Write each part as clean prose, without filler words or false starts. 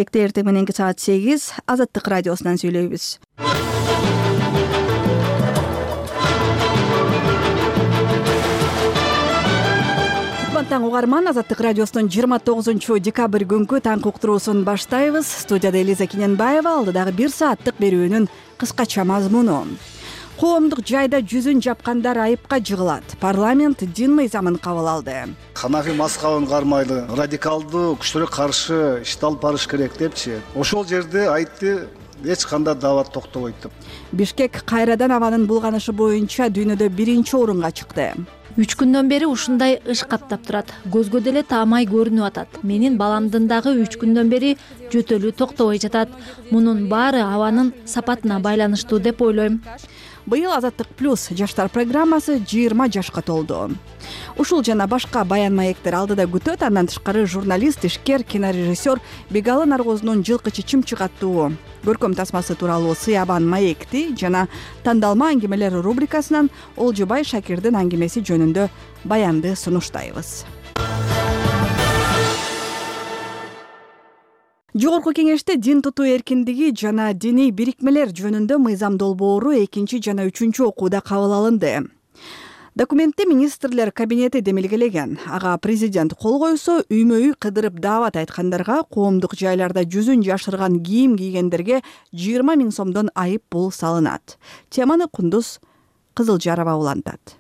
Бишкекте эртең мененки саат 8 Азаттык радиосунан сүйлөйбүз. Таң угарман, Азаттык радиосунун 29-декабрь күнкү таң уктуруусун баштайбыз. Студияда Элиза Кененбаева, алдыдагы 1 сааттык берүүнүн кыскача мазмуну. Коомдук жайда жүзүн жапкандар айыпка жыгылат. Парламент дин мыйзамын кабыл алды. Ханафи мазхабын кармайлы, радикалдуу күчтөргө каршы ишти алып барыш керек депчи. Ошол жерде айтты, эч кандай дават токтобойт деп. Бишкек кайрадан абанын булганышы боюнча дүйнөдө 1-орунга чыкты. 3 күндөн бери ушундай ыш каптап турат. Көзгө деле таамай көрүнүп атат. Менин баламдын дагы 3 күндөн бери жөтөлү токтобой жатат. Мунун баары абанын сапатына байланыштуу деп ойлойм. Быйыл Азаттык плюс жаштар программасы 20 жашка толду. Ушул жана башка баян маектер алдыда күтөт. Андан тышкары журналист, ишкер, кинорежиссер Бегалы Наргоздун жылкы чычымчык аттуу көркөм тасмасы тууралуу Сыябан маекти жана тандалма аңгемелер рубрикасынан Олжобай Шакирдин аңгемеси жөнүндө баянды сунуштайбыз. Жогорку кеңеште дин тутуу эркиндиги жана диний бирикмелер жөнүндө мыйзам долбоору 2 жана 3 окууда кабыл алынды. Документте министрлер кабинети демилгелеген. Ага президент кол койсо, үймө-үй кыдырып даават айткандарга, коомдук жайларда жүзүн жашырган кийим кийгендерге 20 000 сомдон айып пул салынат. Теманы Кундуз Кызылжарова улантат.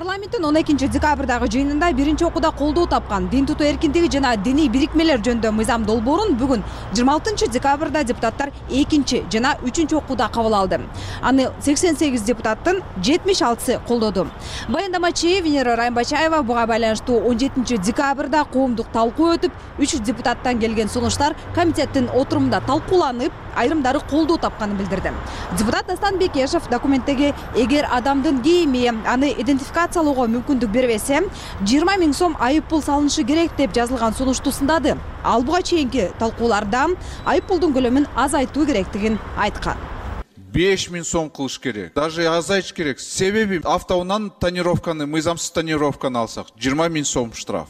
Парламенттин 12 декабрдагы жыйынында 1 окууда колдоо тапкан дин тутуу эркиндиги жана диний бирикмелер жөнүндө мыйзам долбоорун бүгүн 26 декабрда депутаттар 2 жана 3 окууда кабыл алды. Аны 88 депутаттын 76сы колдоду. Баяндамачы Венера Раймбачаева буга байланыштуу 17 декабрда коомдук талкуу өтүп, 3 депутаттан келген сунуштар комитеттин отурумунда талкууланып, айрымдары колдоо тапканын билдирди. Депутат Дастан Бекешев документтеги эгер адамдын кийими аны идентификациялоого мүмкүндүк бербесе, 20 000 сом айып пул салынышы керек деп жазылган сунушту сындады. Ал буга чейинки талкууларда айып пулдун көлөмүн азайтуу керектигин айткан. 5 000 сом кылыш керек. Даже азайтыш керек. Себеби автоунан тонировканы, мыйзамсыз тонировканы алсак 20 000 сом штраф.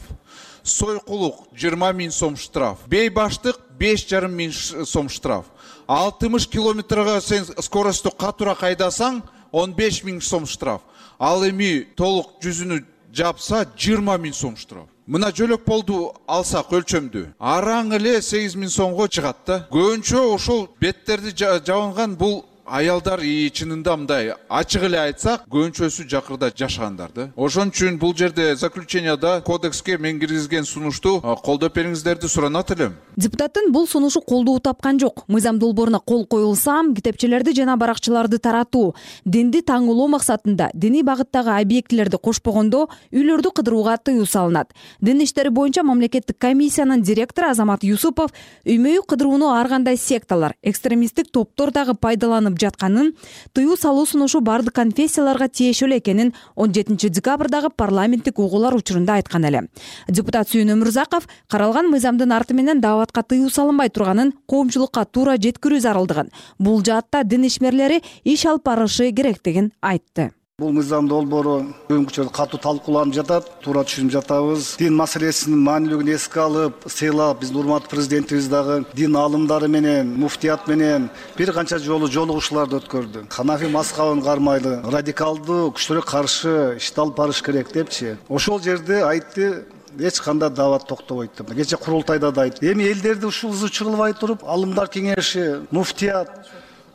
Сойкулук 20 000 сом штраф. Бейбаштык 5,5 000 сом штраф. 60 километрга сен скоросту катуура кайдасаң 15 000 сом штраф. Ал эми толук жүзүнү жапса 20 000 сом штраф. Мына жөлөк болду алсак өлчөмдү. Араң эле 8 000 сомго чыгат да. Көбүнчө ошол беттерди жабынган бул аялдар чынында мындай ачык эле айтсак, көбүнчөсү жакырда жашагандар да. Ошон үчүн бул жерде заключенияда кодекске мен киргизген сунушту колдоп бериңиздерди суранат элем. Депутаттын бул сунушу колдоо тапкан жок. Мыйзам долбооруна кол коюлса, китепчелерди жана баракчаларды таратуу, динди таңылоо максатында диний багыттагы объектилерди кошпогондо үйлөрдү кыдырууга тыюу салынат. Дин иштери боюнча мамлекеттик комиссиянын директору Азамат Юсупов үймө-үй кыдырууну ар кандай секталар, экстремисттик топтор дагы пайдаланып жатканын, тыюу салуу сунушу бардык конфессияларга тиешелүү экенин 17 декабрдагы парламенттик угуулар учурунда айткан эле. Депутат Сүйүн Өмүрзаков каралган мыйзамдын арты менен дааватка тыюу салынбай турганын коомчулукка туура жеткирүү зарылдыгын, бул жаатта дин ишмерлери иш алып барышы керектигин айтты. Бул мыйзам долбоору бүгүнкү учурда катуу талкууланып жатат, туура түшүнүп жатабыз. Дин маселесинин маанилүүлүгүн эске алып, сыйлап, биздин урматтуу президентибиз дагы дин аалымдары менен, муфтият менен бир канча жолу жолугушууларды өткөрдү. Ханафи мазхабын кармайлы, радикалдуу күчтөргө каршы ишти алып барыш керек депчи. Ошол жерде айтты, эч кандай дават токтобойт деп. Кече курултайда да айтты. Эми элдерди ушул ызы чыгылбай туруп, алымдар кеңеши, муфтият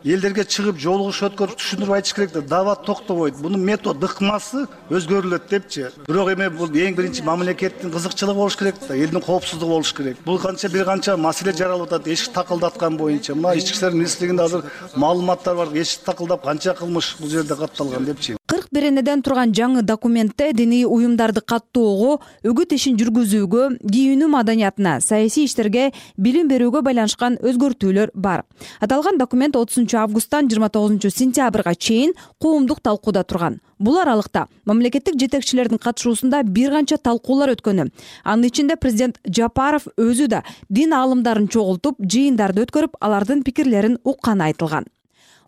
элдерге чыгып жолугуш өткөрүп түшүндүрүп айтыш керек да, дават токтобойт. Бунун метод ыкмасы өзгөрүлөт депчи. Бирок эми бул эң биринчи мамлекеттин кызыкчылыгы болуш керек да, элдин коопсуздугу болуш керек. Бул бир канча маселе жаралып атат, эшик такылдаткан боюнча. Мына ички иштер министрлигинде азыр маалыматтар бар, эшик такылдап канча кылмыш бул жерде катталган депчи. 41 энеден турган жаңы документте диний уюмдарды каттоого, үгүт ишин жүргүзүүгө, кийинүү маданиятына, саясий иштерге, билим берүүгө байланышкан өзгөртүүлөр бар. Аталган документ 30 августтан 29 сентябрга чейин коомдук талкууда турган. Бул аралыкта мамлекеттик жетекчилердин катышуусунда бир канча талкуулар өткөнү. Анын ичинде президент Жапаров өзү да дин аалымдарын чогултуп, жыйындарды өткөрүп, алардын пикирлерин укканы айтылган.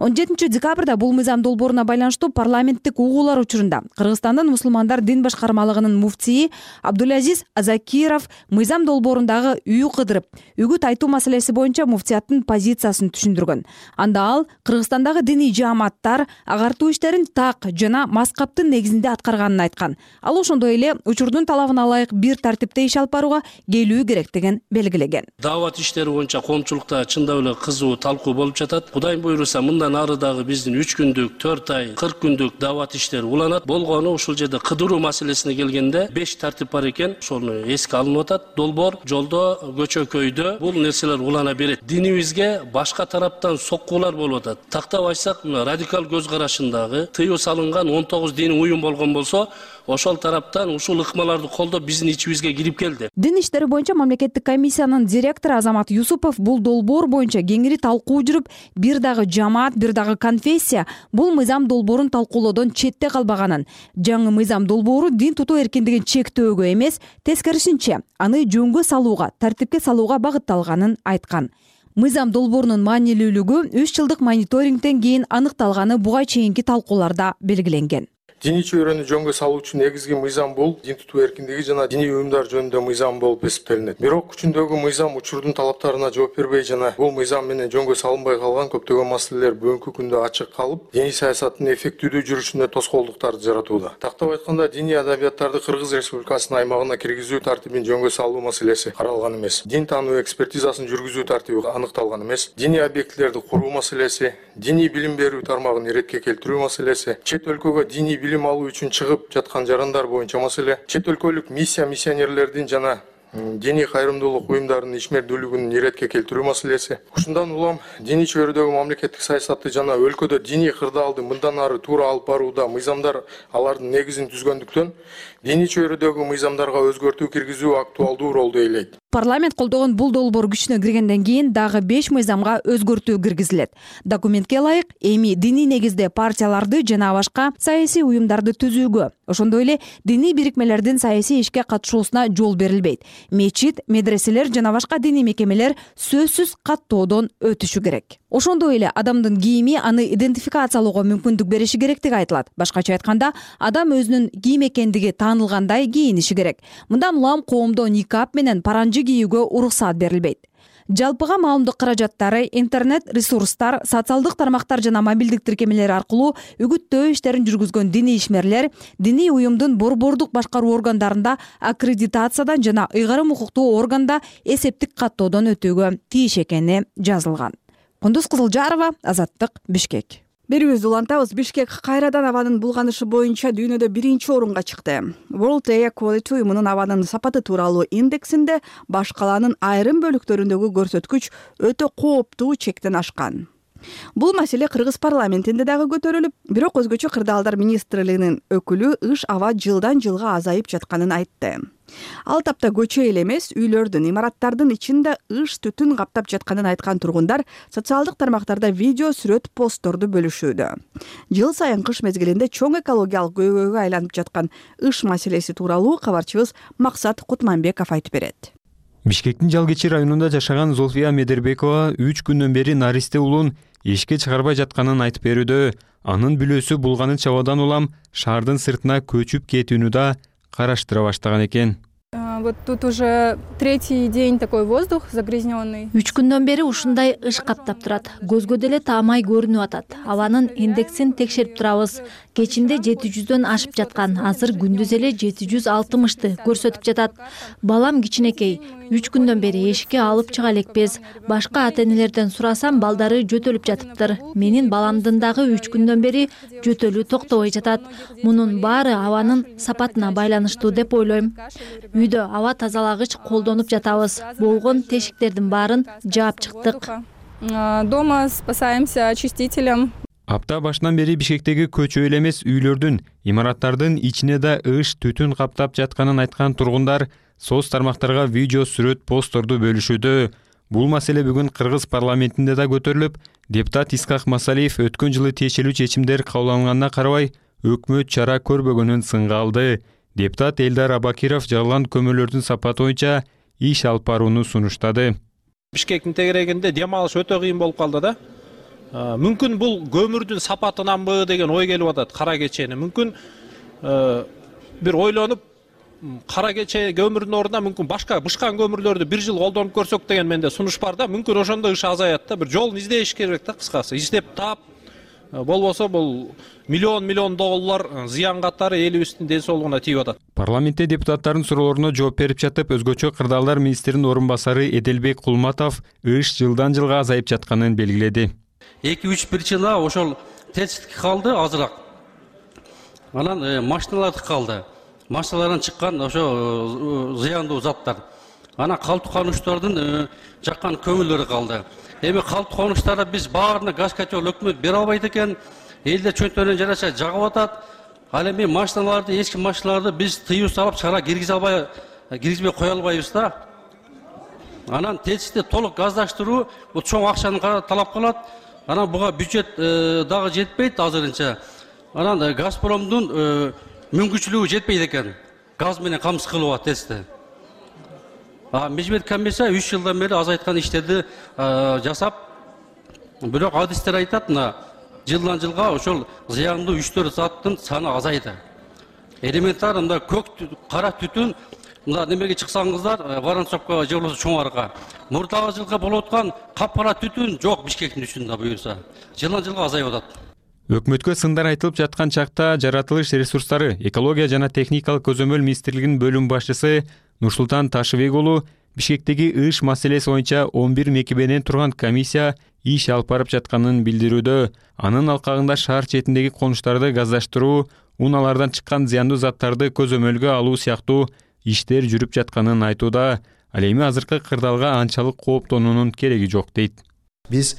17 декабрда бул мыйзам долбооруна байланыштуу парламенттик угуулар учурунда Кыргызстандын мусулмандар дин башкармалыгынын муфтии Абдулазиз Азакиров мыйзам долбоорундагы үй кыдырып, үгүт айтуу маселеси боюнча муфтияттын позициясын түшүндүргөн. Анда ал Кыргызстандагы диний жааматтар агартуу иштерин так жана маскаптын негизинде аткарганын айткан. Ал ошондой эле учурдун талабына ылайык бир тартипте иш алып барууга келүү керектигин белгилеген. Даават иштери боюнча коомчулукта чындап эле кызуу талкуу болуп жатат. Кудайым буйруса мындан ары дагы биздин 3 күндүк, 4 ай, 40 күндүк даават иштери уланат. Болгону ушул жерде кыдыруу маселесине келгенде 5 тартип бар экен. Ошону эске алынып атат. Долбоор, жолдо, көчө-көйдө бул нерселер улана берет. Динибизге башка тараптан соккуулар болуп атат. Тактап айтсак, радикал көз карашындагы тыюу салынган 19 диний уюм болгон болсо, ошол тараптан ушул ыкмаларды колдоп биздин ичибизге кирип келди. Дин иштери боюнча мамлекеттик комиссиянын директору Азамат Юсупов бул долбоор боюнча кеңири талкуу жүрүп, бир дагы жамаат, бир дагы конфессия бул мыйзам долбоорун талкуулоодон четте калбаганын, жаңы мыйзам долбоору дин тутуу эркиндигин чектөөгө эмес, тескерисинче, аны жөнгө салууга, тартипке салууга багытталганын айткан. Мыйзам долбоорунун маанилүүлүгү 3 жылдык мониторингден кийин аныкталганы буга чейинки талкууларда белгиленген. Диний чөйрөнү жөнгө салуучу негизги мыйзам бул дин тутуу эркиндиги жана диний уюмдар жөнүндө мыйзам болуп эсептелинет. Бирок күчүндөгү мыйзам учурдун талаптарына жооп бербей жана бул мыйзам менен жөнгө салынбай калган көптөгөн маселелер бүгүнкү күндө ачык калып, диний саясаттын эффективдүү жүрүшүнө тоскоолдуктарды жаратууда. Тактап айтканда, диний адабияттарды Кыргыз Республикасынын аймагына киргизүү тартибин жөнгө салуу маселеси каралган эмес. Дин таануу экспертизасын жүргүзүү тартиби аныкталган эмес. Диний объектилерди куруу маселеси, диний билим берүү тармагын иретке келтирүү маселеси, чет өлкөгө диний билим алуу үчүн чыгып жаткан жарандар боюнча маселе, чет өлкөлүк миссионерлердин жана диний кайрымдуулук уюмдарынын ишмердүүлүгүн иретке келтирүү маселеси. Ушундан улам диний чөйрөдөгү мамлекеттик саясатты жана өлкөдө диний кырдаалды мындан ары туура алып барууда мыйзамдар алардын негизин түзгөндүктөн диний чөйрөдөгү мыйзамдарга өзгөртүү киргизүү актуалдуу ролду ээлейт. Парламент колдогон бул долбоор күчүнө киргенден кийин дагы 5 мыйзамга өзгөртүү киргизилет. Документке ылайык эми диний негизде партияларды жана башка саясий уюмдарды түзүүгө, ошондой эле диний бирикмелердин саясий ишке катышуусуна жол берилбейт. Мечит, медреселер жана башка диний мекемелер сөзсүз каттоодон өтүшү керек. Ошондой эле адамдын кийими аны идентификациялоого мүмкүндүк бериши керектиги айтылат. Башкача айтканда, адам өзүнүн кийим экендиги таанылгандай кийиниши керек. Мындан улам коомдо никап менен паранжы кийүүгө уруксаат берилбейт. Жалпыга маалымдык каражаттары, интернет ресурстар, социалдык тармактар жана мобилдик тиркемелер аркылуу үгүттөө иштерин жүргүзгөн диний ишмерлер диний уюмдун борбордук башкаруу органдарында аккредитациядан жана ыйгарым укуктуу органда эсептик каттоодон өтүүгө тийиш экени жазылган. Кундуз Кызылжарова, Азаттык, Бишкек. Берүүбүздү улантабыз. Бишкек кайрадан абанын булганышы боюнча дүйнөдө 1-орунга чыкты. World Air Quality уюмунун абанын сапаты тууралуу индексинде баш калаанын айрым бөлүктөрүндөгү көрсөткүч өтө кооптуу чектен ашкан. Бул маселе Кыргыз парламентинде дагы көтөрүлүп, бирок өзгөчө кырдаалдар министрлигинин өкүлү ыш аба жылдан жылга азайып жатканын айтты. Ал тапта көчө эле эмес, үйлөрдүн, имараттардын ичинде ыш түтүн каптап жатканын айткан тургундар социалдык тармактарда видео, сүрөт, постторду бөлүшүүдө. Жыл сайын кыш мезгилинде чоң экологиялык көйгөйгө айланып жаткан ыш маселеси тууралуу кабарчыбыз Максат Кутманбеков айтып берет. Бишкектин Жалгечи районунда жашаган Золфия Медербекова 3 күндөн бери наристе улун эшикке чыгарбай жатканын айтып берүүдө. Анын бүлөсү булганын чабуудан улам шаардын сыртына көчүп кетүүнү да караштыра баштаган экен. Вот тут уже 3-й день такой воздух загрязненный. 3 күндөн бери ушундай ыш каптап турат. Көзгө деле таамай көрүнүп атат. Абанын индексин текшерип турабыз. Кечинде 700дөн ашып жаткан, азыр күндүз эле 760ты көрсөтүп жатат. Балам кичинекей, 3 күндөн бери эшикке алып чыга элекпиз. Башка ата-энелерден сурасам, балдары жөтөлүп жатыптыр. Менин баламдын дагы 3 күндөн бери жөтөлү токтобой жатат. Мунун баары абанын сапатына байланыштуу деп ойлойм. Үйдө аба тазалагыч колдонуп жатабыз. Болгон тешиктердин баарын жаап чыктык. Дома спасаемся очистителем. Апта башынан бери Бишкектеги көчө эле эмес, үйлөрдүн, имараттардын ичине да ыш түтүн каптап жатканын айткан тургундар соц тармактарга видео, сүрөт, постторду бөлүшүүдө. Бул маселе бүгүн Кыргыз парламентинде да көтөрүлүп, депутат Искак Масалиев өткөн жылы тиешелүү чечимдер кабыл алынганына карабай өкмөт чара көрбөгөнүн сынга алды. Депутат Элдар Абакиров жарылган көмүрлөрдүн сапаты боюнча иш алып барууну сунуштады. Бишкектин тегерегинде дем алыш өтө кыйын болуп калды да. мүмкүн бул көмүрдүн сапатынанбы деген ой келип атат кара кечени. Мүмкүн бир ойлонуп кара кече көмүрдүн ордуна мүмкүн башка бышкан көмүрлөрдү бир жыл колдонуп көрсөк деген менде сунуш бар да. Мүмкүн ошондо иш азаят да. Бир жолун издеш керек да, кыскасы. Издеп таап, болбосо бул миллион доллар зыян катары элибиздин ден соолугуна тийип атат. Парламентте депутаттардын суроолоруна жооп берип жатып, өзгөчө кырдаалдар министринин орун басары Эделбек Кулматов ыш жылдан жылга азайып жатканын белгиледи. 2-3 жылда ошол тесттики калды азыраак. Анан машиналардыкы калды. Машиналардан чыккан ошо зыяндуу заттар. Анан калдык конуштардын жаккан көмүрлөрү калды. Эми калдык конуштарды биз баарына газ котел өкмөт бере албайт экен. Элдер чөнтөрүнөн жараша жагып атат. Ал эми машиналарды, эски машиналарды биз тыюу салып чара киргизбей кое албайбыз да. Анан теситти толук газдаштыруу бул чоң акчаны талап кылат. Анан буга бюджет дагы жетпейт азырынча. Анан Газпромдун мүмкүнчүлүгү жетпейт экен. Газ менен камсыз кылууга тести. Межбет комиссия 3 жылдан бери азайткан иштерди жасап, бирок адистер айтат, жылдан жылга ошол зыяндуу 3-4 заттын саны азайды. Элементар мында көк кара түтүн, мында немеге чыксаңыздар, Воронцовко же болбосо Чоң Арга. Мурдагы жылга болуп аткан капкара түтүн жок Бишкектин үстүндө буюрса. Жылдан жылга азайып атат. Өкмөткө сындар айтылып жаткан чакта жаратылыш ресурстары, экология жана техникалык көзөмөл министрлигинин бөлүм башчысы Нурсултан Ташыбек уулу Бишкектеги ыш маселеси боюнча 11 мекеменен турган комиссия иш алып барып жатканын билдирүүдө. Анын алкагында шаар четиндеги конуштарды газдаштыруу, унаалардан чыккан зыяндуу заттарды көзөмөлгө алуу сыяктуу иштер жүрүп жатканын айтууда. Ал эми азыркы кырдаалга анчалык кооптонуунун кереги жок дейт. Биз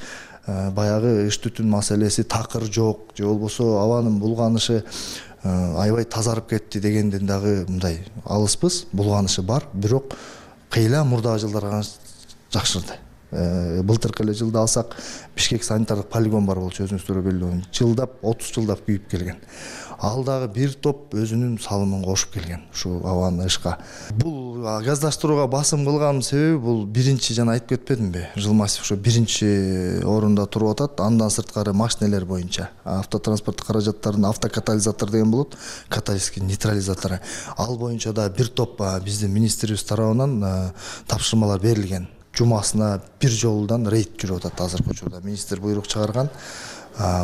баягы ыш түтүн маселеси такыр жок, же болбосо абанын булганышы аябай тазарып кетти дегенден дагы мындай алыспыз. Булганышы бар, бирок кыйла мурдагы жылдарга жакшырды. Былтыркы эле жылда алсак, Бишкек санитардык полигон бар болчу, өзүңүздөр билүү. Жылдап, 30 жылдап күйүп келген. Ал дагы бир топ өзүнүн салымын кошуп келген ушу абаны ышка. Бул газдаштырууга басым кылган себеби бул биринчи, жана айтып кетпедимби? Жылмасов ошо биринчи орунда туруп атат. Андан сырткары машинелер боюнча автотранспорт каражаттарын автокатализатор деген болот, каталитический нейтрализатору. Ал боюнча да бир топ биздин министрибиз тарабынан тапшырмалар берилген. Жумасына бир жолудан рейд жүрүп атат азыркы учурда. Министр буйрук чыгарган.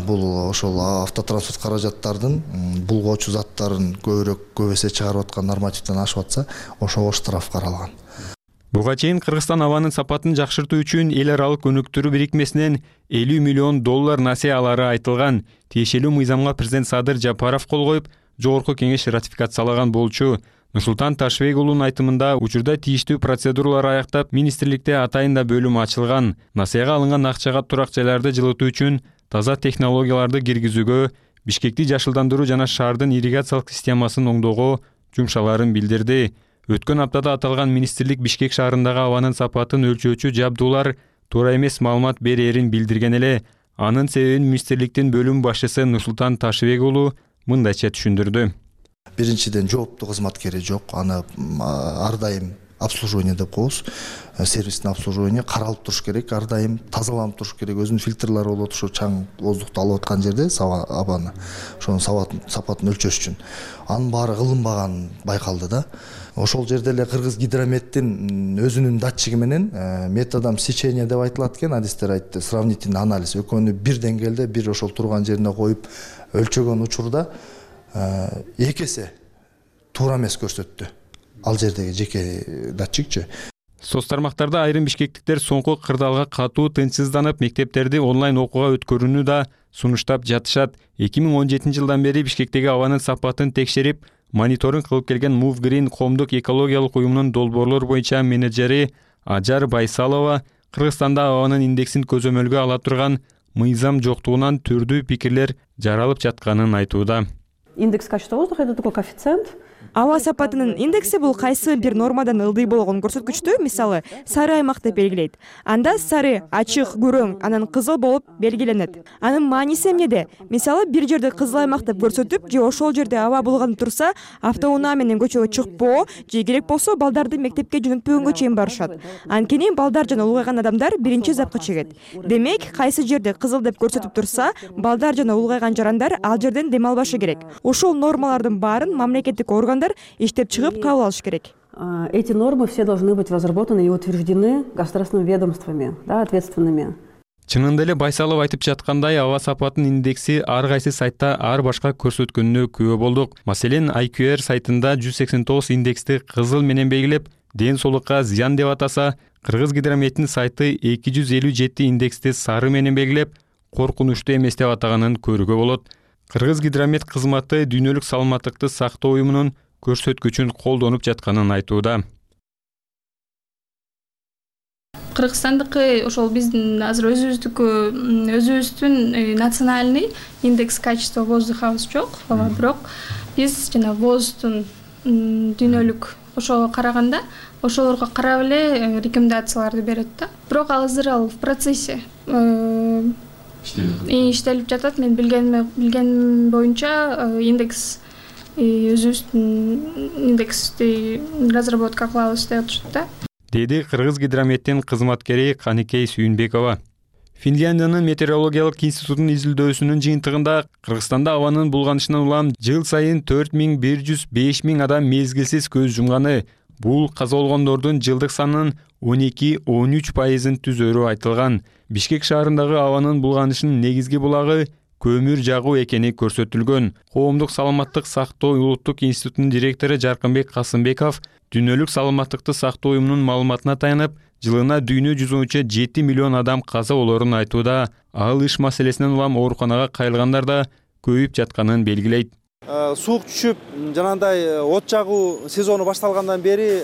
Бул ошол автотранспорт каражаттардын булгоочу заттарын көп эсе чыгарып аткан нормативден ашып атса, ошого штраф каралган. Буга чейин Кыргызстан абанын сапатын жакшыртуу үчүн эл аралык өнүктүрүү бирикмесинен $50 миллион насыя алары айтылган. Тиешелүү мыйзамга президент Садыр Жапаров кол коюп, жогорку кеңеш ратификациялаган болчу. Нурсултан Ташыбек уулунун айтымында учурда тийиштүү процедуралар аяктап, министрликте атайын да бөлүм ачылган. Насыяга алынган акчага турак жайларды жылытуу үчүн таза технологияларды киргизүүгө, Бишкекти жашылдандыруу жана шаардын ирригациялык системасын оңдоого жумшаларын билдирди. Өткөн аптада аталган министрлик Бишкек шаарындагы абанын сапатын өлчөөчү жабдуулар туура эмес маалымат берээрин билдирген эле. Анын себебин министрликтин бөлүм башчысы Нурсултан Ташыбек уулу мындайча түшүндүрдү. Биринчиден жооптуу кызматкери жок, аны ар дайым обслуживание деп коебуз. Сервистин обслуживание каралып туруш керек, ар дайым тазаланып туруш керек. Өзүнүн фильтрлери болот, ошо чаң воздукту алып аткан жерде абаны, ошонун сапатын өлчөш үчүн. Анын баары кылынбаган байкалды да. Ошол жерде эле Кыргыз гидрометтин өзүнүн датчиги менен методом сечения деп айтылат экен, адистер айтты, сравнительный анализ. Экөөнү бир деңгээлде, бир ошол турган жерине коюп өлчөгөн учурда эки эсе туура эмес көрсөттү. Ал жердеги жеке датчикчи. Соц тармактарда айрым бишкектиктер соңку кырдаалга катуу тынчсызданып, мектептерди онлайн окууга өткөрүүнү да сунуштап жатышат. 2017 жылдан бери Бишкектеги абанын сапатын текшерип, мониторинг кылып келген Move Green коомдук экологиялык уюмунун долбоорлор боюнча менеджери Ажар Байсалова Кыргызстанда абанын индексин көзөмөлгө ала турган мыйзам жоктугунан түрдүү пикирлер жаралып жатканын айтууда. Индекс качества воздуха — это такой коэффициент, Аба сапатынын индекси бул кайсы бир нормадан ылдый болгон көрсөткүчтү мисалы сары аймак деп белгилейт. Анда сары ачык, күрөң, анан кызыл болуп белгиленет. Анын мааниси эмнеде? Мисалы бир жерде кызыл аймак деп көрсөтүп, же ошол жерде аба булганып турса, автоунаа менен көчөгө чыкпоо, же керек болсо балдарды мектепке жөнөтпөгөнгө чейин барышат. Анткени балдар жана улгайган адамдар биринчи запка чегет. Демек, кайсы жерде кызыл деп көрсөтүп турса, балдар жана улгайган жарандар ал жерден дем албашы керек. Ошол нормалардын баарын мамлекеттик органдар иштеп чыгып кабыл алыш керек. Эти нормы все должны быть разработаны и утверждены государственными ведомствами, ответственными. Чынында эле Байсалов айтып жаткандай, аба сапатынын индекси ар кайсы сайтта ар башка көрсөткөнүнө күбө болдук. Маселен, IQR сайтында 189 индексти кызыл менен белгилеп, ден соолукка зыян деп атаса, Кыргызгидрометтин сайты 257 индексти сары менен белгилеп, коркунучтуу эмес деп атаганын көрүүгө болот. Кыргызгидромет кызматы дүйнөлүк саламаттыкты сактоо уюмунун көрсөткүчүн колдонуп жатканын айтууда. Кыргызстандыкы ошол биздин азыр өзүбүздүн национальный индекс качества воздухабыз жок, бирок биз жана ВОЗдун дүйнөлүк ошого караганда ошолорго карап эле рекомендацияларды берет да. Бирок азыр ал в процессе иштелип жатат. Мен билгеним боюнча индекс өзүбүздүн индексти разработка кылабыз деп атышат да. Деди Кыргызгидрометтин кызматкери Каникей Сүйүнбекова. Финляндиянын метеорологиялык институтунун изилдөөсүнүн жыйынтыгында Кыргызстанда абанын булганышынан улам жыл сайын 4100-5000 адам мезгилсиз көз жумганы. Бул каза болгондордун жылдык санынын 12-13% түзөрү айтылган. Бишкек шаарындагы абанын булганышынын негизги булагы көмүр жагуу экени көрсөтүлгөн. Коомдук саламаттык сактоо улуттук институтунун директору Жаркынбек Касымбеков дүйнөлүк саламаттыкты сактоо уюмунун маалыматына таянып, жылына дүйнө жүзүнчө 7 миллион адам каза болорун айтууда. Ал иш маселесинен улам ооруканага кайрылгандар да көбөйүп жатканын белгилейт. Суук түшүп, жанагындай от жагуу сезону башталгандан бери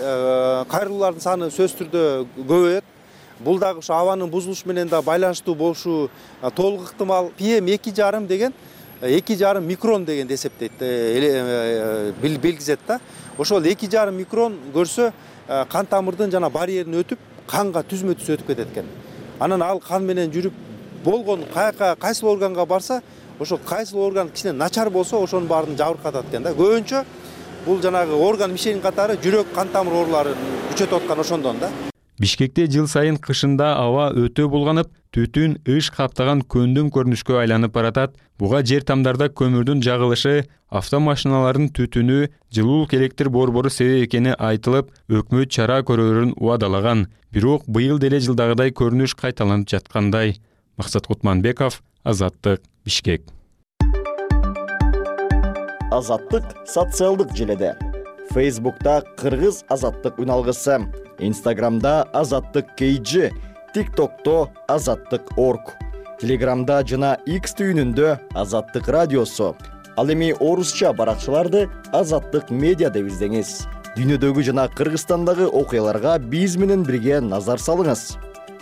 кайрылуулардын саны сөзсүз түрдө көбөйөт. Бул дагы ушу абанын бузулушу менен да байланыштуу болушу толук ыктымал. PM 2,5 деген 2,5 микрон дегенди эсептейт, билгизет да. Ошол 2,5 микрон көрсө кан тамырдын жана барьерин өтүп, канга түзмө-түз өтүп кетет экен. Анан ал кан менен жүрүп болгон кайсыл органга барса, ошол кайсыл орган кичине начар болсо, ошонун баарын жабыркатат экен да. Көбүнчө бул жанагы орган мишенин катары жүрөк кан тамыр ооруларын күчөтүп аткан ошондон да. Бишкекте жыл сайын кышында аба өтө булганып, түтүн ыш каптаган көндүм көрүнүшкө айланып баратат. Буга жер тамдарда көмүрдүн жагылышы, автомашиналардын түтүнү, жылуулук электр борбору себеп экени айтылып, өкмөт чара көрөрүн убадалаган. Бирок быйыл деле жылдагыдай көрүнүш кайталанып жаткандай. Максат Кутманбеков, Азаттык, Бишкек. Азаттык социалдык желеде. Facebook'ta Кыргыз Азаттык үналгысы, Instagram'da Азаттык KG, TikTok'ta Азаттык.org, Telegram'da жана X түйүнүндө Азаттык радиосу. Ал эми орусча баракчаларды Азаттык медиа деп издеңиз. Дүйнөдөгү жана Кыргызстандагы окуяларга биз менен бирге назар салыңыз.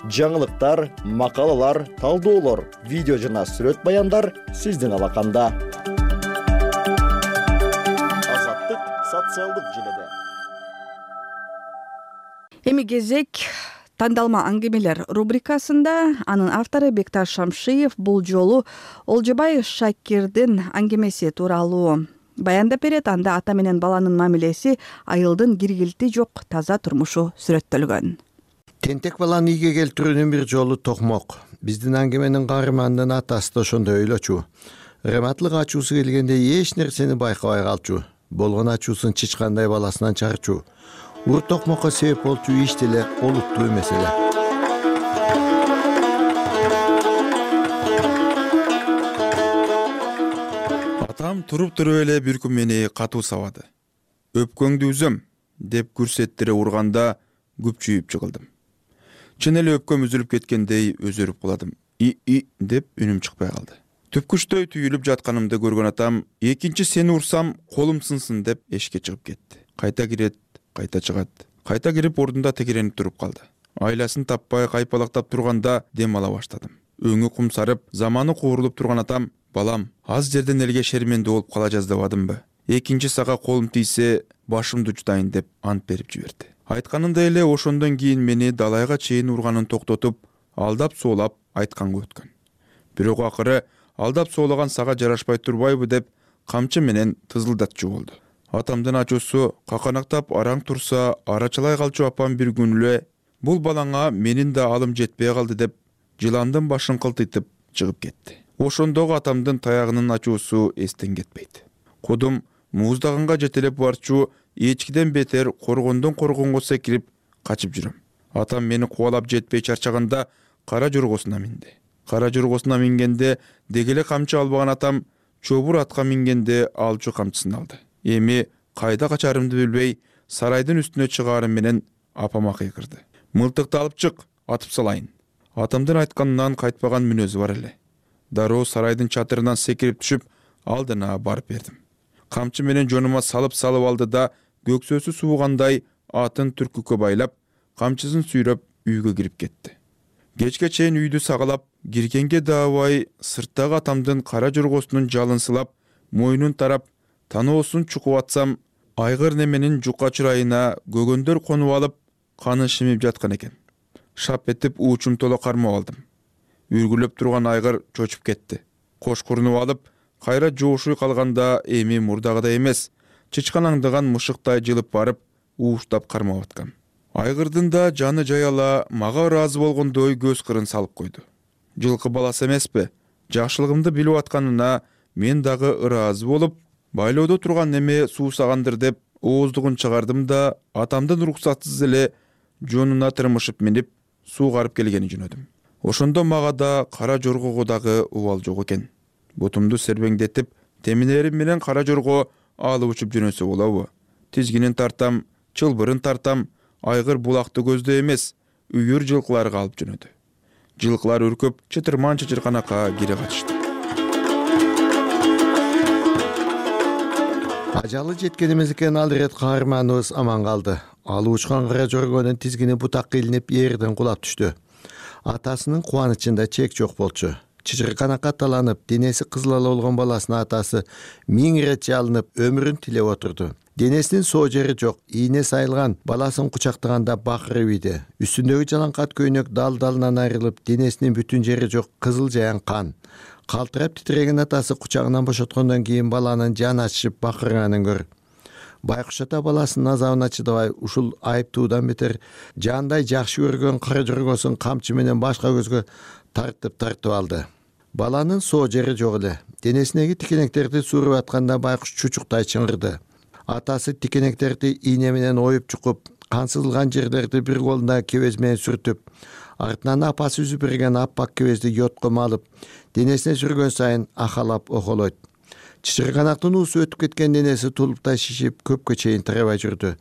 Жаңылыктар, макалалар, талдоолор, видео жана сүрөт баяндар сиздин алаканда. Азаттык социалдык желеде. Эми кезек тандалма аңгемелер рубрикасында. Анын автору Бекташ Шамшиев бул жолу Олжобай Шакирдин аңгемеси тууралуу баяндап берет. Анда ата менен баланын мамилеси, айылдын киргилти жок таза турмушу сүрөттөлгөн. Тентек баланы ийге келтирүүнүн бир жолу токмок. Биздин аңгеменин каарманынын атасы да ошондой ойлочу. Рематлык ачуусу келгенде эч нерсени байкабай калчу. Болгон ачуусун чычкандай баласынан чарчу. Ур токмокко себеп болчу иш деле олуттуу эмес эле. Атам туруп эле бир күн мени катуу сабады. Өпкөңдү үзөм деп күрсеттире урганда күпчүйүп жыгылдым. Чын эле өпкөм үзүлүп кеткендей өзөрүп каладым. И деп үнүм чыкпай калды. Түпкүчтөй түйүлүп жатканымды көргөн атам, экинчи сени урсам колум сынсын деп эшикке чыгып кетти. Кайта кирет, кайта чыгат. Кайта кирип ордунда текеренип туруп калды. Айласын таппай кайпалактап турганда дем ала баштадым. Өңү кумсарып, заманы куурулуп турган атам, балам, аз жерден элге шермендүү болуп кала жаздабадымбы? Экинчи сага колум тийсе, башымды жутайын деп ант берип жиберди. Айтканындай эле ошондон кийин мени далайга чейин урганын токтотуп, алдап соолап айтканга өткөн. Бирок акыры алдап соолаган сага жарашпай турбайбы деп камчы менен тызылдатчу болду. Атамдын ачуусу каканактап араң турса, арачалай калчу апам бир күн эле бул балаңа менин да алым жетпей калды деп жыландын башын кылтыйтып чыгып кетти. Ошондогу атамдын таягынын ачуусу эстен кетпейт. Кудум муздагынга жетелеп барчу эчкиден бетер коргондон коргонго секирип качып жүрөм. Атам мени кубалап жетпей чарчаганда кара жоргосуна минди. Кара жоргосуна мингенде дегеле камчы албаган атам чобур атка мингенде алчу камчысын алды. Эми кайда качарымды билбей сарайдын үстүнө чыгаарым менен апама кыйкырды. Мылтыкты алып чык, атып салайын. Атамдын айтканынан кайтпаган мүнөзү бар эле. Дароо сарайдын чатырынан секирип түшүп, алдына барып бердим. Камчы менен жонума салып алды да көксөсү суугандай атын түркүккө байлап, камчысын сүйрөп үйгө кирип кетти. Кечке чейин үйдү сагалап, киргенге даабай сырттагы атамдын кара жоргосунун жалын сылап, мойнун тарап, таноосун чукуп атсам, айгыр неменин жука чырайына көгөндөр конуп алып, каны шимип жаткан экен. Шап этип уучум толо кармап алдым. Үргүлөп турган айгыр чочуп кетти. Кош курнуп алып, кайра жоошуй калганда эми мурдагыдай эмес, чычканаңдаган мышыктай жылып барып, ууштап кармап аткам. Айгырдын да жаны жаяла мага ыраазы болгондой көз кырын салып койду. Жылкы баласы эмеспи? Жакшылыгымды билип атканына мен дагы ыраазы болуп, байлоодо турган неме суусагандыр деп ооздугун чыгардым да атамдын уруксатсыз эле жонуна тырмышып минип суугарып келгени жөнөдүм. Ошондо мага да кара жоргого дагы убал жок экен. Бутумду сербеңдетип, теминерим менен кара жорго алып учуп жөнөсө болобу? Тизгинин тартам, чылбырын тартам, айгыр булакты көздө эмес, үйүр жылкыларга алып жөнөдү. Жылкылар үркүп, чытырман чычырканакка кире катышты. Ажалы жеткен эмес экен, ал ирет каарманыбыз аман калды. Алып учкан кара жоргонун тизгини бутакка илинип жерден кулап түштү. Атасынын кубанычында чек жок болчу. Чычырканакка таланып, денеси кызылала болгон баласынын атасы 1000 ирет жалынып, өмүрүн тилеп отурду. Денесинин соо жери жок, ийне сайылган, баласын кучактаганда бакырып ийди. Үстүндөгү жалаңкат көйнөк дал-далынан айрылып, денесинин бүтүн жери жок, кызыл жаян кан. Калтырап титиреген атасы кучагынан бошоткондон кийин баланын жаны ачышып бакырганын көр. Байкуш ата баласынын азабына чыдабай, ушул айыптуудан бетер жандай жакшы көргөн кара жоргосун камчы менен башка көзгө тартып алды. Баланын соо жери жок эле. Денесиндеги тикенектерди сууруп атканда байкуш чучуктай чыңырды. Атасы тикенектерди ийне менен оюп чукуп, кан сызылган жерлерди бир колунда кебез менен сүртүп, артынан апасы үзүп берген аппак кебезди йотком алып, денесине сүргөн сайын ахалап охолойт. Чычырканактын уусу өтүп кеткен денеси тулуптай шишип, көпкө чейин тарабай жүрдү.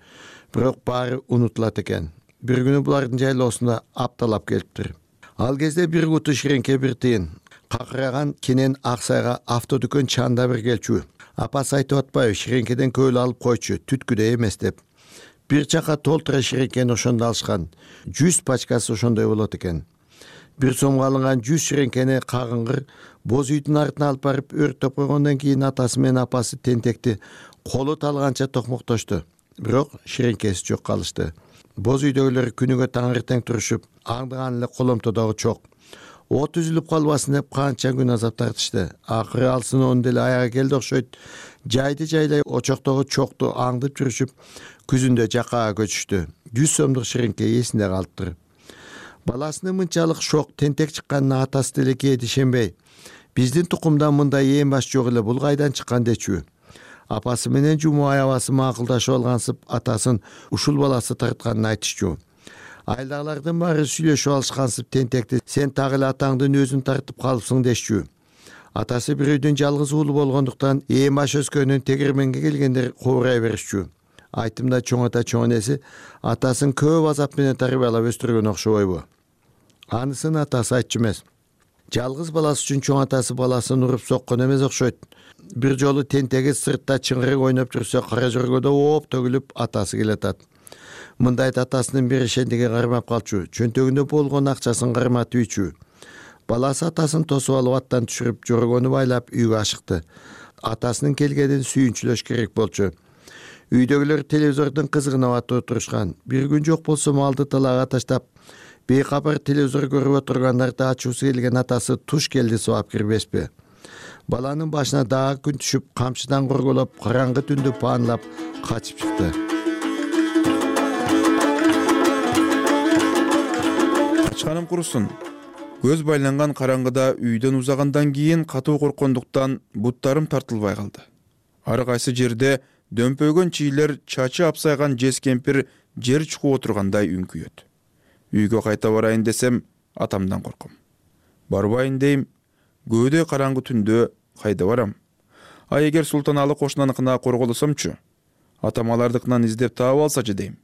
Бирок баары унутулат экен. Бир күнү булардын жайлоосунда апталап келиптир. Ал кезде бир куту ширеңке бир тыйын. Какыраган кенен Аксайга автодүкөн чанда бир келчү. Апасы айтып атпайбы, ширеңкеден көөл алып койчу, түткүдөй эмес деп. Бир чака толтура ширеңкени ошондо алышкан. 100 пачкасы ошондой болот экен. Бир сомго алынган 100 ширеңкени кагыңгыр боз үйдүн артына алып барып өрттөп койгондон кийин атасы менен апасы тентекти колу талганча токмоктошту. Бирок ширеңкеси жок калышты. Боз үйдөгүлөр күнүгө таңертең турушуп, аңдыган эле коломтодогу чок. От үзүлүп калбасын деп канча күн азап тартышты. Акыры алсын он деле аяга келди окшойт. Жайды жайлай очоктогу чокту аңдып жүрүшүп, күзүндө жакаага көчүштү. 100 сомдук ширеңке эсинде калыптыр. Баласынын мынчалык шок тентек чыкканына атасы деле кээде ишенбей, биздин тукумдан мындай эң баш жок эле, бул кайдан чыккан дечү. Апасы менен жуму аябасы макулдашып алгансып, атасын ушул баласы тартканын айтышчу. Айдагылардын баары сүйлөшүп алышкансып, тентекти сен так эле атаңдын өзүн тартып калыпсың дешчү. Атасы бир үйдүн жалгыз уулу болгондуктан эң баш өскөнүн тегирменге келгендер кобурай беришчү. Айтымда чоң ата чоң энеси атасын көп азап менен тарбиялап өстүргөн окшобойбу? Анысын атасы айтчу эмес. Жалгыз баласы үчүн чоң атасы баласын уруп соккон эмес окшойт. Бир жолу тентеги сыртта чыңгырык ойноп жүрсө, кара жоргодо ооп төгүлүп атасы келатат. Мындайда атасынын беришендиги кармап калчу, чөнтөгүндө болгон акчасын карматып үйчү. Баласы атасын тосуп алып аттан түшүрүп, жоргону байлап үйгө ашыкты. Атасынын келгенин сүйүнчүлөш керек болчу. Үйдөгүлөр телевизордун кызыгына батып отурушкан. Бир күн жок болсо малды талаага таштап, бейкабар телевизор көрүп отургандарды ачуусу келген атасы туш келди сабап кирбеспи. Баланын башына дагы күн түшүп, камчыдан корголоп, караңгы түндү паанлап качып чыкты. Качканым курусун. Көз байланган караңгыда үйдөн узагандан кийин катуу корккондуктан буттарым тартылбай калды. Ар кайсы жерде дөмпөйгөн чийлер, чачы апсайган жез кемпир жер чукуп отургандай үңкүйөт. Үйгө кайта барайын десем, атамдан корком. Барбайын дейм, көөдө караңгы түндө кайда барам? А эгер Султаналы кошунаныкына корголосомчу? Атам алардыкынан издеп таап алсачы дейм.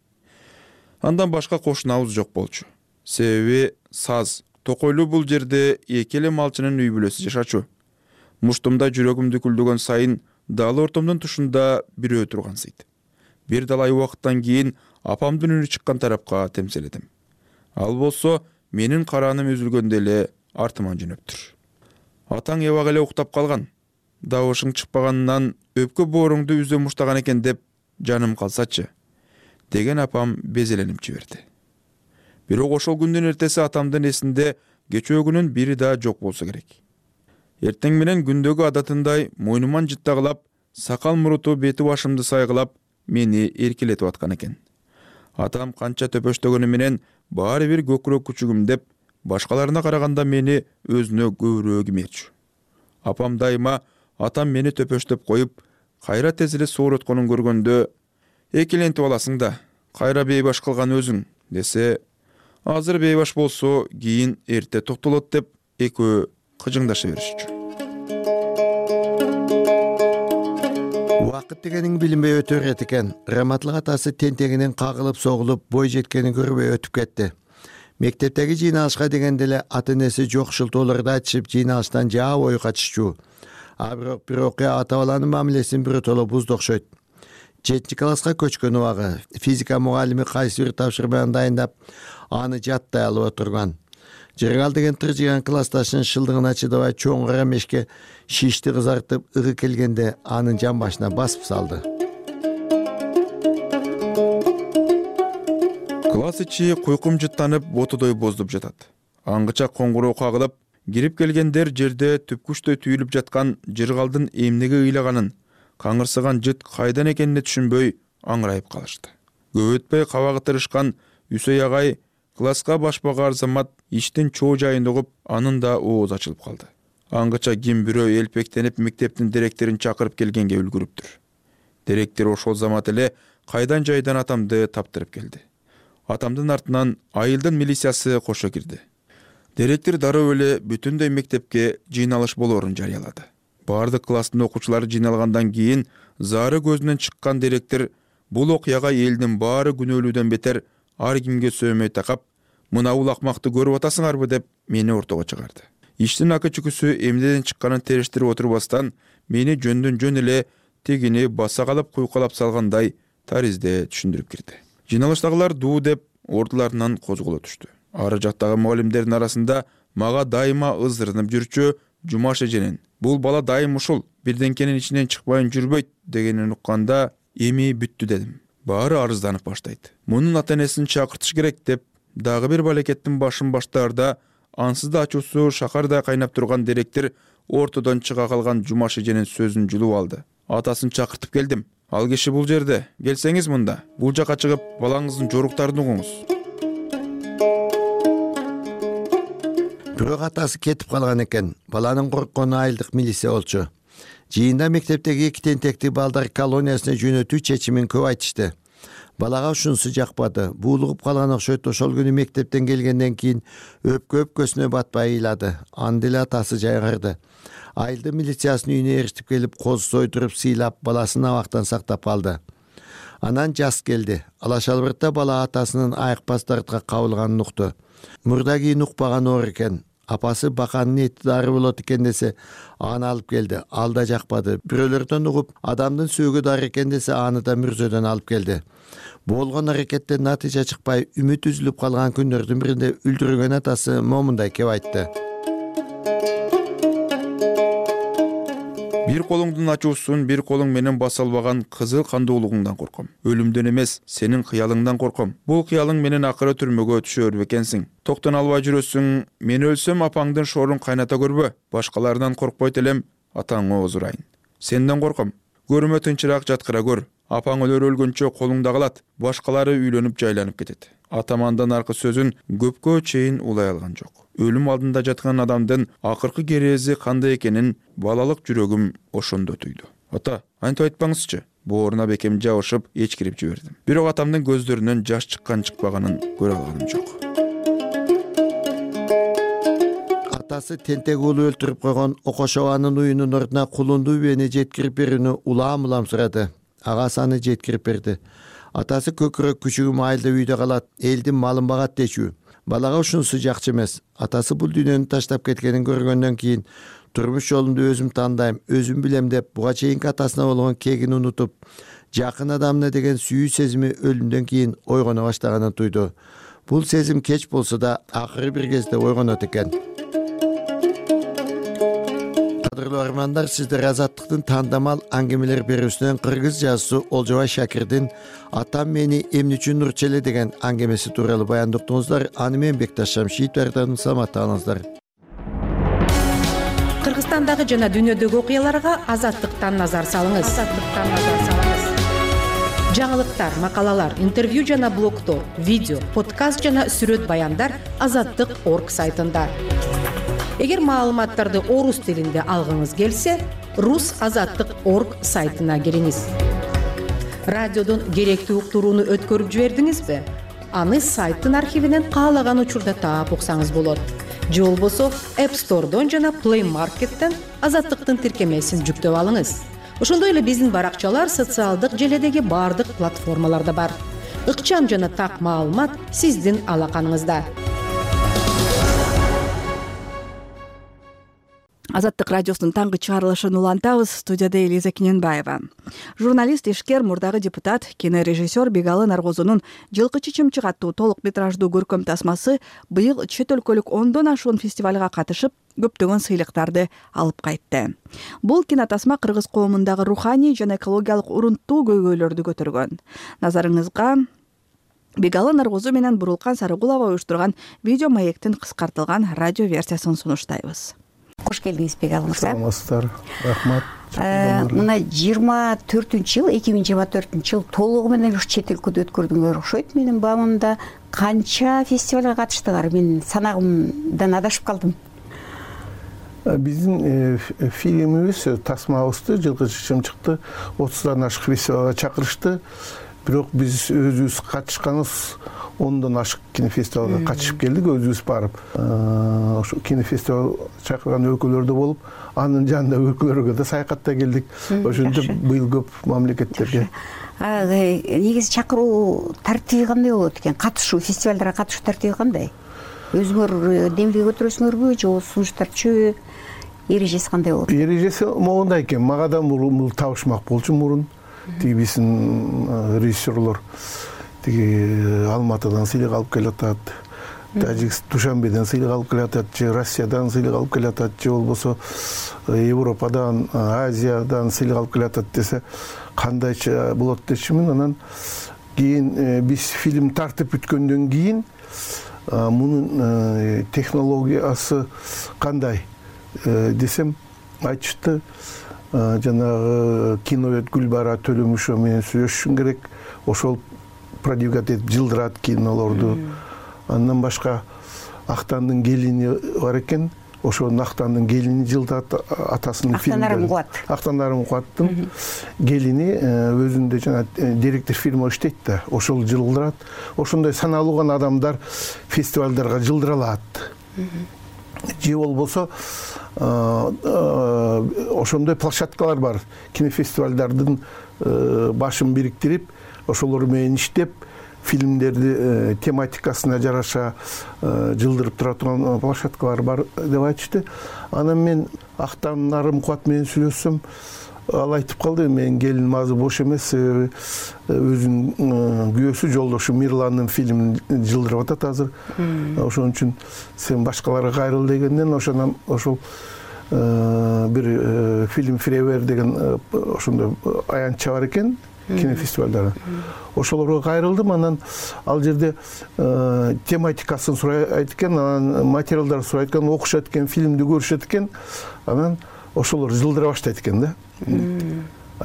Андан башка кошунабыз жок болчу. Себеби Саз, Токойлуу бул жерде эки эле малчынын үй бүлөсү жашачу. Муштумда жүрөгүмдү күлдөгөн сайын дал ортомдун тушунда бирөө тургансыйт. Бир далай убакыттан кийин апамдын үнү чыккан тарапка темселедим. Ал болсо менин карааным үзүлгөндө эле артыман жөнөптүр. Атаң эбак эле уктап калган. Дабышың чыкпаганынан өпкө бооруңду үзө муштаган экен деп жаным калсачы, деген апам безеленип жиберди. Бирок ошол күндүн эртеси атамдын эсинде кечөөгүнүн бири да жок болсо керек. Эртең менен күндөгү адатындай мойнуман жыттагылап, сакал муруту бети башымды сайгылап, мени эркелетип аткан экен. Атам канча төпөштөгөнү менен баары бир көкүрөк күчүгүм деп, башкаларына караганда мени өзүнө көбүрөөк имечү. Апам дайыма атам мени төпөштөп коюп, кайра тез эле соорутконун көргөндө, экелентип аласың да, кайра бейбаш кылган өзүң, десе, азыр бейбаш болсо, кийин эрте токтолот деп экөө кыжыңдаша беришчү. Убакыт дегениң билинбей өтө берет экен. Раматлык атасы тентегинен кагылып согулуп, бой жеткенин көрбөй өтүп кетти. Мектептеги жыйналышка дегенде эле ата-энеси жок шылтоолорду айтышып, жыйналыштан жаа бою качышчу. А бирок бир окуя ата баланын мамилесин биротоло бузду окшойт. 7 класска көчкөн убагы физика мугалими кайсы бир тапшырманы дайындап, аны жаттай алып отурган. Жыргал деген тыржыган классташынын шылдыгына чыдабай чоң кара мешке шишти кызартып ыгы келгенде анын жан башына басып салды. Класс ичи куйкум жыттанып, ботудой боздуп жатат. Аңгыча коңгуроо кагылып, кирип келгендер жерде түпкүчтөй түйүлүп жаткан жыргалдын эмнеге ыйлаганын, каңырсыган жыт кайдан экенине түшүнбөй аңырайып калышты. Көп өтпөй кабагы тырышкан Үсөй агай класска башпага арзамат иштин чоо жайын угуп, анын да ооз ачылып калды. Аңгыча ким бирөө элпектенип мектептин директорун чакырып келгенге үлгүрүптүр. Директор ошол замат эле кайдан жайдан атамды таптырып келди. Атамдын артынан айылдын милициясы кошо кирди. Директор дароо эле бүтүндөй мектепке жыйналыш болоорун жарыялады. Бардык класстын окуучулары жыйналгандан кийин зары көзүнөн чыккан директор бул окуяга элдин баары күнөөлүүдөн бетер ар кимге сөөмөй такап, мына улакмакты көрүп атасыңарбы деп мени ортого чыгарды. Иштин ака чүкүсү эмнеден чыкканын териштирип отурбастан, мени жөндөн жөн эле тегини баса калып куйкалап салгандай таризде түшүндүрүп кирди. Жыйналыштагылар дуу деп ордуларынан козголо түштү. Ары жактагы мугалимдердин арасында мага дайыма ызырынып жүрчү Жумаш эженин бул бала дайым ушул бирденкенин ичинен чыкпайын жүрбөйт дегенин укканда эми бүттү дедим. Баары арызданып баштайт. Мунун ата-энесин чакыртыш керек деп дагы бир балекеттин башын баштаарда ансыз да ачуусу шакардай кайнап турган директор ортодон чыга калган Жумаш эженин сөзүн жулуп алды. Атасын чакыртып келдим. Ал киши бул жерде. Келсеңиз мында. Бул жака чыгып, балаңыздын жоруктарын угуңуз. Бирок атасы кетип калган экен. Баланын корккону айылдык милиция болчу. Жыйында мектептеги эки тентекти балдар колониясына жөнөтүү чечимин көп айтышты. Балага ушунусу жакпады. Буулугуп калган окшойт. Ошол күнү мектептен келгенден кийин өпкөсүнө батпай ыйлады. Анда эле атасы жайгарды. Айылдын милициясынын үйүнө эрişип келип, коз сойдуруп сыйлап, баласын абактан сактап алды. Анан жаз келди. Алашалбыртта бала атасынын айыкпас дартка кабылганын укту. Мурда кийин укпаган оор экен. Апасы баканын эти дары болот экен десе, аны алып келди. Ал да жакпады. Бирөөлөрдөн угуп, адамдын сөөгү дары экен десе, аны да мүрзөдөн алып келди. Болгон аракеттен натыйжа чыкпай, үмүт үзүлүп калган күндөрдүн биринде үлдүргөн атасы момундай кеп айтты. Бир колуңдун ачуусун бир колуң менен баса албаган кызыл кандуулугуңдан корком. Өлүмдөн эмес, сенин кыялыңдан корком. Бул кыялың менен акыры түрмөгө түшөр бекенсиң. Токтон албай жүрөсүң. Мен өлсөм апаңдын шоорун кайната көрбө. Башкалардан коркпойт элем, атаңа озурайын. Сенден корком. Көрүмө тынчыраак жаткыра көр. Апаң өлгөнчө колуңда калат. Башкалары үйлөнүп жайланып кетет. Атамандан аркы сөзүн көпкө чейин улай алган жок. Өлүм алдында жаткан адамдын акыркы керези кандай экенин балалык жүрөгүм ошондо түйдү. Ата, антип айтпаңызчы. Бооруна бекем жабышып эчкирип жибердим. Бирок атамдын көздөрүнөн жаш чыккан-чыкпаганын көрө алганым жок. Атасы тентек уулу өлтүрүп койгон Окошованын уюнун ордуна кулунду бени жеткирип берүүнү улам сурады. Агасы аны жеткирип берди. Атасы көкүрөк күчүгү майылда үйдө калат, элдин малын багат дечүү. Балага ушунусу жакчы эмес. Атасы бул дүйнөнү таштап кеткенин көргөндөн кийин турмуш жолунду өзүм тандайм, өзүм билем деп буга чейинки атасына болгон кегин унутуп, жакын адамына деген сүйүү сезими өлүмдөн кийин ойгоно баштаганын туйду. Бул сезим кеч болсо да акыры бир кезде ойгонот экен. Кадырлуу армандар, сиздер Азаттыктын тандамал аңгемелер берүүсүнөн кыргыз жазуусу Олжобай Шакирдин "Атам мени эмне үчүн урчу эле" деген аңгемеси тууралуу баяндап уктуңуздар. Аны мен Бекташ Шамшиев даярдадым. Саламатта калыңыздар. Кыргызстандагы жана дүйнөдөгү окуяларга Азаттыктан назар салыңыз. Жаңылыктар, макалалар, интервью жана блогдор, видео, подкаст жана сүрөт баяндар Азаттык.орг сайтында. Эгер маалыматтарды орус тилинде алгыңыз келсе, rusazаттык.org сайтына кириңиз. Радиодон керектүү уктурууну өткөрүп жибердиңизби? Аны сайттын архивинен каалаган учурда таап уксаңыз болот. Же болбосо App Store'дон жана Play Market'тен Азаттыктын тиркемесин жүктөп алыңыз. Ошондой эле биздин баракчалар социалдык желедеги бардык платформаларда бар. Ыкчам жана так маалымат сиздин алаканыңызда. Азаттык радиосунун таңкы чыгарылышын улантабыз. Студияда Элиза Кененбаева. Журналист, ишкер, мурдагы депутат, кинорежиссер Бегалы Наргозунун жылкы чычымчык аттуу толук метраждуу көркөм тасмасы быйыл чет өлкөлүк 10дон ашуун фестивалга катышып, көптөгөн сыйлыктарды алып кайтты. Бул кинотасма кыргыз коомундагы руханий жана экологиялык урунттуу көйгөйлөрдү көтөргөн. Назарыңызга Бегалы Наргозу менен Бурулкан Сарыгулова уюштурган видео маектин кыскартылган радио версиясын сунуштайбыз. Кош келдиңиз, Бегалы мырза. Саламатсыздар. Рахмат. Мына 24-жыл, 2024-жыл толугу менен ушу чет өлкөдө өткөрдүңөр окшойт. Менин баамымда канча фестивалга катыштыңар? Мен санагымдан адашып калдым. Биздин фильмибиз, тасмабызды жылкы чычымчыкты 30дан ашык фестивалга чакырышты. Бирок биз өзүбүз катышканыбыз 10дон ашык кинофестивалга катышып келдик, өзүбүз барып. Ошо кинофестивал чакырган өлкөлөрдө болуп, анын жанындагы өлкөлөргө да саякатта келдик. Ошентип быйыл көп мамлекеттерге. Негизи чакыруу тартиби кандай болот экен? Катышуу, фестивалдарга катышуу тартиби кандай? Өзүңөр демилге көтөрөсүңөрбү же сунуштарчы? Эрежеси кандай болот? Эрежеси могундай экен. Мага да бул табышмак болчу мурун. Тиги биздин режиссерлор тиги Алматыдан сыйлык алып келатат, Душанбеден сыйлык алып келатат, же Россиядан сыйлык алып келатат, же болбосо Европадан, Азиядан сыйлык алып келатат десе, кандайча болот дечимин. Анан кийин биз фильм тартып бүткөндөн кийин мунун технологиясы кандай десем, айтышты. Жанагы киновед Гүлбара Төлөмүшова менен сүйлөшүшүң керек. Ошол продвигать этип жылдырат кинолорду. Андан башка Актандын келини бар экен. Ошонун Актандын келини жылдат атасынын фильмдери. Актандарым Кубаттын келини өзүндө жана директор фильм иштейт да, ошол жылдырат. Ошондой саналуу гана адамдар фестивалдарга жылдыра алат. Же болбосо ошондой площадкалар бар. Кинофестивалдардын башын бириктирип, ошолор менен иштеп, фильмдерди тематикасына жараша жылдырып тура турган площадкалар бар деп айтышты. Анан мен Актандарым Кубат менен сүйлөшсөм, ал айтып калды, менин келиним азыр бош эмес, себеби өзүнүн күйөөсү жолдошу Мирландын фильмин жылдырып атат азыр. Ошон үчүн сен башкаларга кайрыл дегенден ошол бир фильм Фревер деген ошондой аянтча бар экен кинофестивалдары. Ошолорго кайрылдым, анан ал жерде тематикасын сурайт экен, анан материалдарды сурайт экен, окушат экен, фильмди көрүшөт экен, анан ошолор жылдыра баштайт экен да.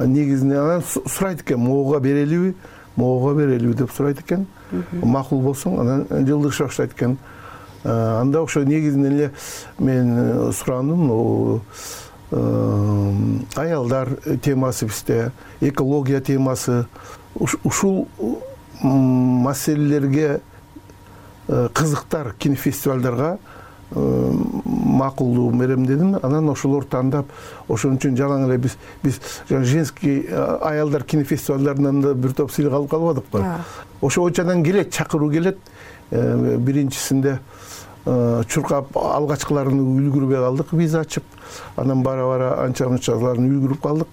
Негизинен анан сурайт экен, могуга берелиби деп сурайт экен. Макул болсоң, анан жылдырыша баштайт экен. Анда ошо негизинен эле мен сурандым, аялдар темасы бизде, экология темасы, ушул маселелерге кызыктар кинофестивалдарга макулдуу берем дедим. Анан ошолор тандап, ошон үчүн жалаң эле биз женский аялдар кинофестивалдарынан да бир топ сыйлык алып калбадыкпы. Ошо очадан келет, чакыруу келет. Биринчисинде чуркап алгачкыларын үлгүрбөй калдык, виза ачып, анан бара анча-мынчаларын үлгүрүп калдык.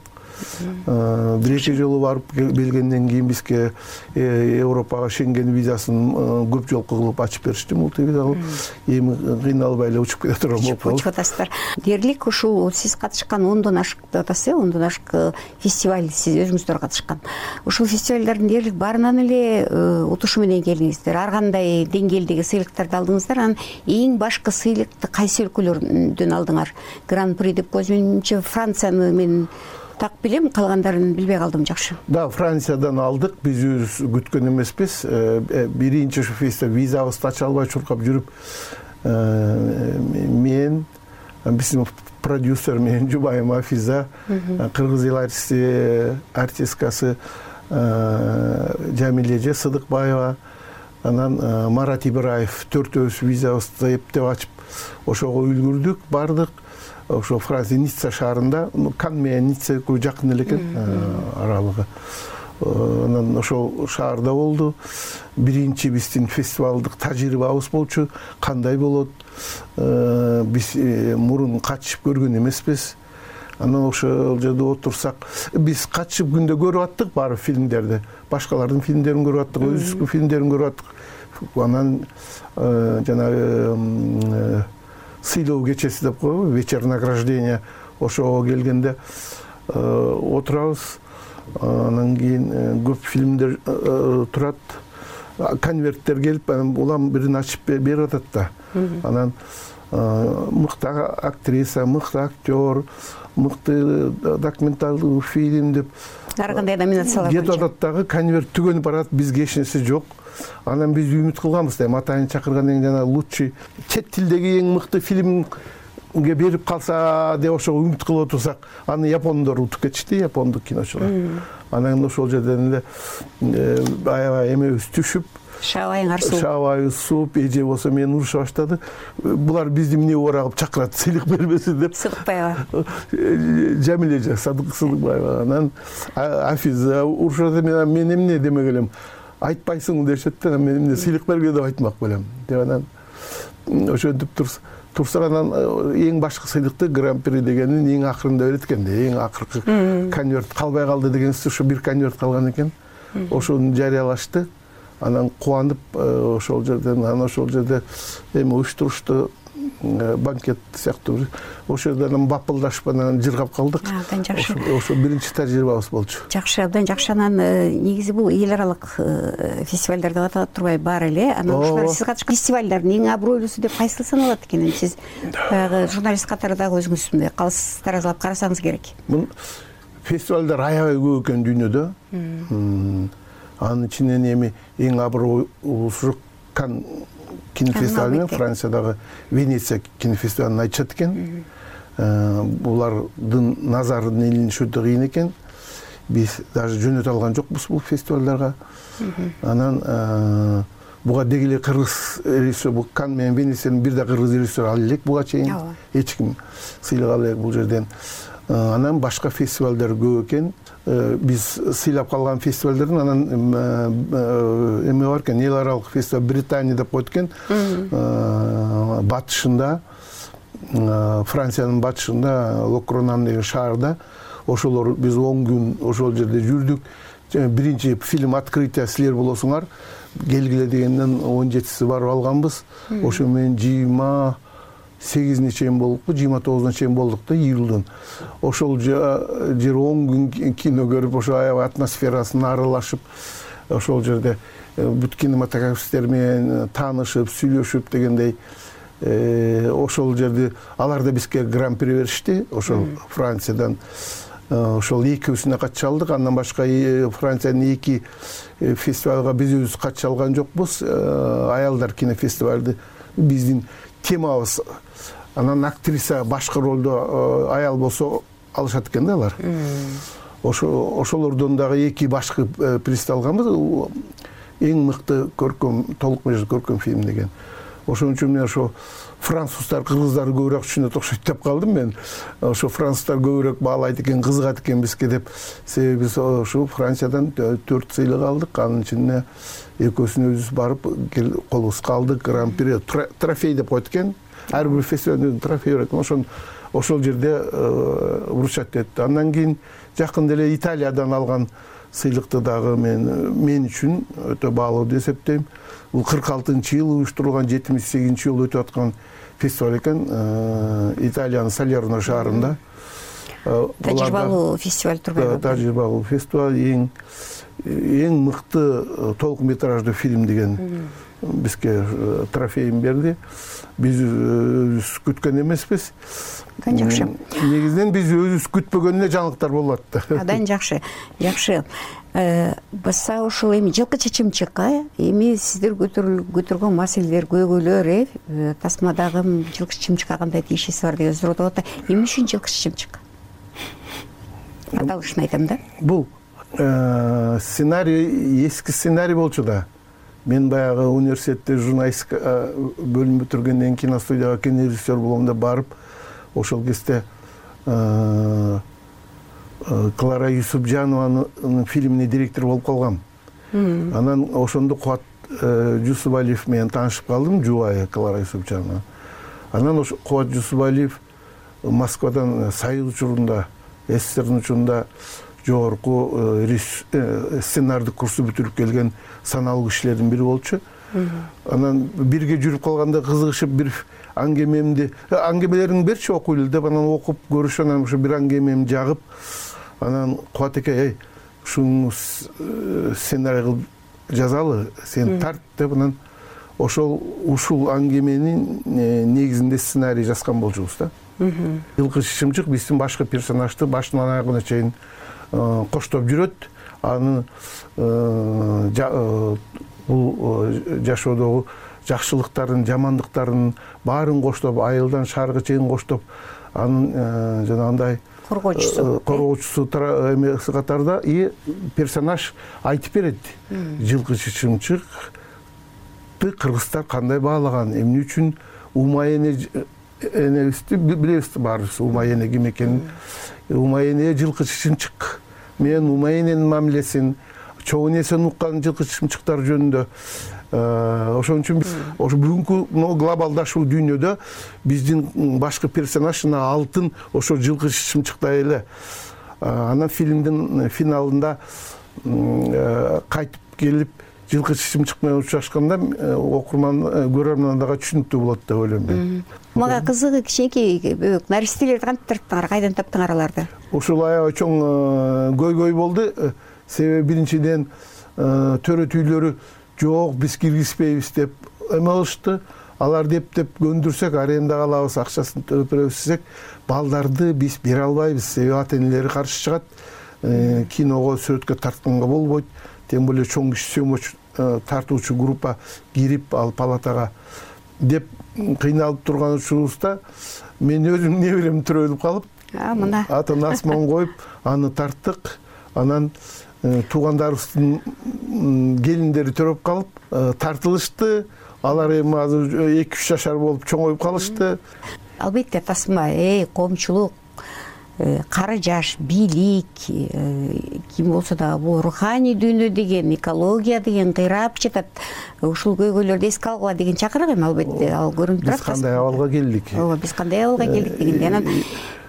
Бир эки жолу барып келгенден кийин бизге Европага Шенген визасын көп жолку кылып ачып беришти, мультивиза кылып. Эми кыйналбай эле учуп кете турган болуп калды. Учуп атасыздар. Дээрлик ушул сиз катышкан 10дон ашык деп атасыз, 10дон ашык фестиваль сиз өзүңүздөр катышкан. Ушул фестивалдардын дээрлик баарынан эле утушу менен келдиңиздер. Ар кандай деңгээлдеги сыйлыктарды алдыңыздар. Анан эң башкы сыйлыкты кайсы өлкөлөрдөн алдыңар? Гран-при деп көзүмчө Францияны мен так билем, калгандарын билбей калдым. Жакшы. Да, Франциядан алдык. Биз өзүбүз күткөн эмеспиз. Биринчи ушу фестиваль визабызды ача албай чуркап жүрүп, мен, биздин продюсер менен жубайым Афиза, кыргыз эл артисткасы Жамилеже Сыдыкбаева, анан Марат Ибраев төртөөбүз визабызды эптеп ачып, ошого үлгүрдүк, бардык. Ошо Франция Ницца шаарында, Кан менен Ницца жакын эле экен аралыгы. Анан ошол шаарда болду. Биринчи биздин фестивалдык тажрыйбабыз болчу. Кандай болот? Биз мурун катышып көргөн эмеспиз. Анан ошол жерде отурсак, биз катышып күндө көрүп аттык баары фильмдерди. Башкалардын фильмдерин көрүп аттык, өзүбүздүн фильмдерин көрүп аттык. Анан жанагы сыйлоо кечеси деп коебу, вечер награждения, ошого келгенде отурабыз. Анан кийин көп фильмдер турат, конверттер келип, улам бирин ачып берип атат да. Анан мыкты актриса, мыкты актер, мыкты документалдуу фильм деп ар кандай номинациялар кетип атат дагы, конверт түгөнүп барат, бизге эч нерсе жок. Анан биз үмүт кылганбыз да, атайын чакыргандан кийин жана лучший чет тилдеги эң мыкты фильмге берип калса деп ошого үмүт кылып отурсак, аны япондор утуп кетишти, япондук киночулар. Анан ошол жерден эле аябай эмебиз түшүп, шабайыбыз сууп, эже болсо мени уруша баштады. Булар бизди эмне орагып чакырат, сыйлык бербесин деп. Сыдыкбаева. Жамилеже Сыдыкбаева. Анан Афиза урушат, мен эмне демек элем. Айтпайсың дешет да, мен эмне сыйлык берге деп айтмак белем. Деп анан ошентип турсак, анан эң башкы сыйлыкты гран-при дегенин эң акырында берет экен да, эң акыркы конверт калбай калды дегенсиз, ошо бир конверт калган экен. Ошону жарыялашты. Анан кубанып ошол жерден, эми уюштурушту, банкет сыяктуу ошол жерден бапылдашып анан жыргап калдык. Ошо биринчи тажрыйбабыз болчу. Жакшы, абдан жакшы. Анан негизи бул эл аралык фестивалдар деп аталат турбай бар эле. Анан ушулар сиз катышкан фестивалдардын эң абройлуусу деп кайсы саналат экен? Сиз баягы журналист катары дагы өзүңүз мындай калыс таразалап карасаңыз керек. Бул фестивалдар аябай көп экен дүйнөдө. Анын ичинен эми эң абройлуусу Кан кинофестиваль, Франциядагы Венеция кинофестивалын айтышат экен. Булардын назарын илинишүү кыйын экен. Биз даже жөнөтө алган жокпуз бул фестивалдарга. Анан буга дегеле кыргыз режиссер, бул Кан менен Венецияны бир да кыргыз режиссер ала элек буга чейин. Эч ким сыйлык ала элек бул жерден. Анан башка фестивалдар көп экен. Биз сыйлап калган фестивалдардын анан эме бар экен, эл аралык фестиваль Британия деп коет экен. Батышында, Франциянын батышында, Локронан деген шаарда. Ошолор биз 10 күн ошол жерде жүрдүк. Биринчи фильм открытие силер болосуңар келгиле дегенден 17си барып алганбыз. Ошо менен жыйма 8-ине чейин болдукпу, 29-уна чейин болдук да, июлдун. Ошол жер 10 күн кино көрүп, ошо аябай атмосферасын аралашып, ошол жерде бүт кинематографисттер менен таанышып, сүйлөшүп дегендей, ошол жерде алар да бизге гран-при беришти, ошол Франциядан. Ошол экөөсүнө катыша алдык. Андан башка Франциянын 2 фестивалга биз өзүбүз катыша алган жокпуз. Аялдар кинофестивалды биздин темабыз. Анан актриса башкы ролдо аял болсо алышат экен да алар. Ошолордон дагы 2 башкы приз алганбыз. Эң мыкты көркөм, толук меже көркөм фильм деген. Ошон үчүн мен ошо француздар, кыргыздар көбүрөөк түшүнөт окшойт деп калдым мен. Ошо француздар көбүрөөк баалайт экен, кызыгат экен бизге деп. Себеби биз ошо Франциядан 4 сыйлык алдык. Анын ичинде экөөсүнө өзүбүз барып колубузга алдык. Гран-при трофей деп коет экен. Ар бир фестивалдын трофей берет экен. Ошол жерде урушат этти. Андан кийин жакында эле Италиядан алган сыйлыкты дагы мен үчүн өтө баалуу деп эсептейм. Бул 46-жыл уюштурулган, 78-жыл өтүп аткан фестиваль экен. Италиянын Салерно шаарында. Тажрыйбалуу фестиваль турбайбы? Тажрыйбалуу фестиваль, эң мыкты толук метраждуу фильм деген бизге трофейин берди. Биз өзүбүз күткөн эмеспиз. Абдан жакшы. Негизинен биз өзүбүз күтпөгөнүнө жаңылыктар болуп атты. Абдан жакшы. Жакшы. Баса ошол эми жылкы чечимчикка эми сиздер көтөргөн маселелер, көйгөйлөр, тасмадагы жылкы чечимчикка кандай тиешеси бар деген суроо болот. Эмне үчүн жылкы чечимчик? Аталышын айтам да. Бул сценарий, эски сценарий болчу да. Мен баягы университетте журналистика бөлүм бүтүргөндөн кийин киностудияга кинорежиссер болом деп барып, ошол кезде Клара Юсупжанованын фильмине директор болуп калгам. Анан ошондо Кубат Жусубалиев менен таанышып калдым, жубайы Клара Юсупжанова. Анан ошо Кубат Жусубалиев Москвадан Союз учурунда, СССРдин учурунда жогорку сценардык курсу бүтүрүп келген саналуу кишилердин бири болчу. Анан бирге жүрүп калганда кызыгышып бир аңгемелериң берчи окуйлу деп анан окуп көрүшүп, анан ошо бир аңгемемди жагып, анан Кубат эке, ушуну сценарий кылып жазалы, сен тарт деп анан ушул аңгеменин негизинде сценарий жазган болчубуз да. Жылкы чечимчик биздин башкы персонажды башынан аягына чейин коштоп жүрөт. Аны бул жашоодогу жакшылыктарын, жамандыктарын баарын коштоп, айылдан шаарга чейин коштоп, анын жанагындай коргоочусу эмеси катарда персонаж айтып берет. Жылкы чечимчикти кыргыздар кандай баалаган, эмне үчүн Умай энебизди билебиз баарыбыз, Умай эне ким экенин. Умай эне жылкы чечимчик менен Умай эненин мамилесин, чоң энесин уккан жылкы чечимчиктар жөнүндө. Ошон үчүн ошо бүгүнкү глобалдашуу дүйнөдө биздин башкы персонаж алтын ошо жылкы чечимчиктай эле. Анан фильмдин финалында кайтып келип жылкы чечимчик менен учурашканда окурман, көрөрман дагы түшүнүктүү болот деп ойлойм мен. Мага кызыгы кичинекей наристелерди кантип таптыңар, кайдан таптыңар аларды? Ушул аябай чоң көйгөй болду. Себеби биринчиден төрөтүүлөрү жок, биз киргизбейбиз деп эме кылышты. Алар деп көндүрсөк, арендага алабыз, акчасын төлөп беребиз десек, балдарды биз бере албайбыз. Себеби ата-энелери каршы чыгат. Киного, сүрөткө тартканга болбойт. Тем более чоң киши сөмөч тартуучу группа кирип ал палатага деп кыйналып турган учурубузда мен өзүм неберем төрөлүп калып, атын асман коюп, аны тарттык. Анан туугандарыбыздын келиндери төрөп калып, тартылышты. Алар эми азыр 2-3 жашар болуп чоңоюп калышты. Албетте тасма, коомчулук, кары жаш, бийлик, ким болсо да бул руханий дүйнө деген, экология деген кыйрап жатат. Ушул көйгөйлөрдү эске алгыла деген чакырык эми албетте, ал көрүнүп турат. Биз кандай абалга келдик? Ооба, биз кандай абалга келдик дегенде. Анан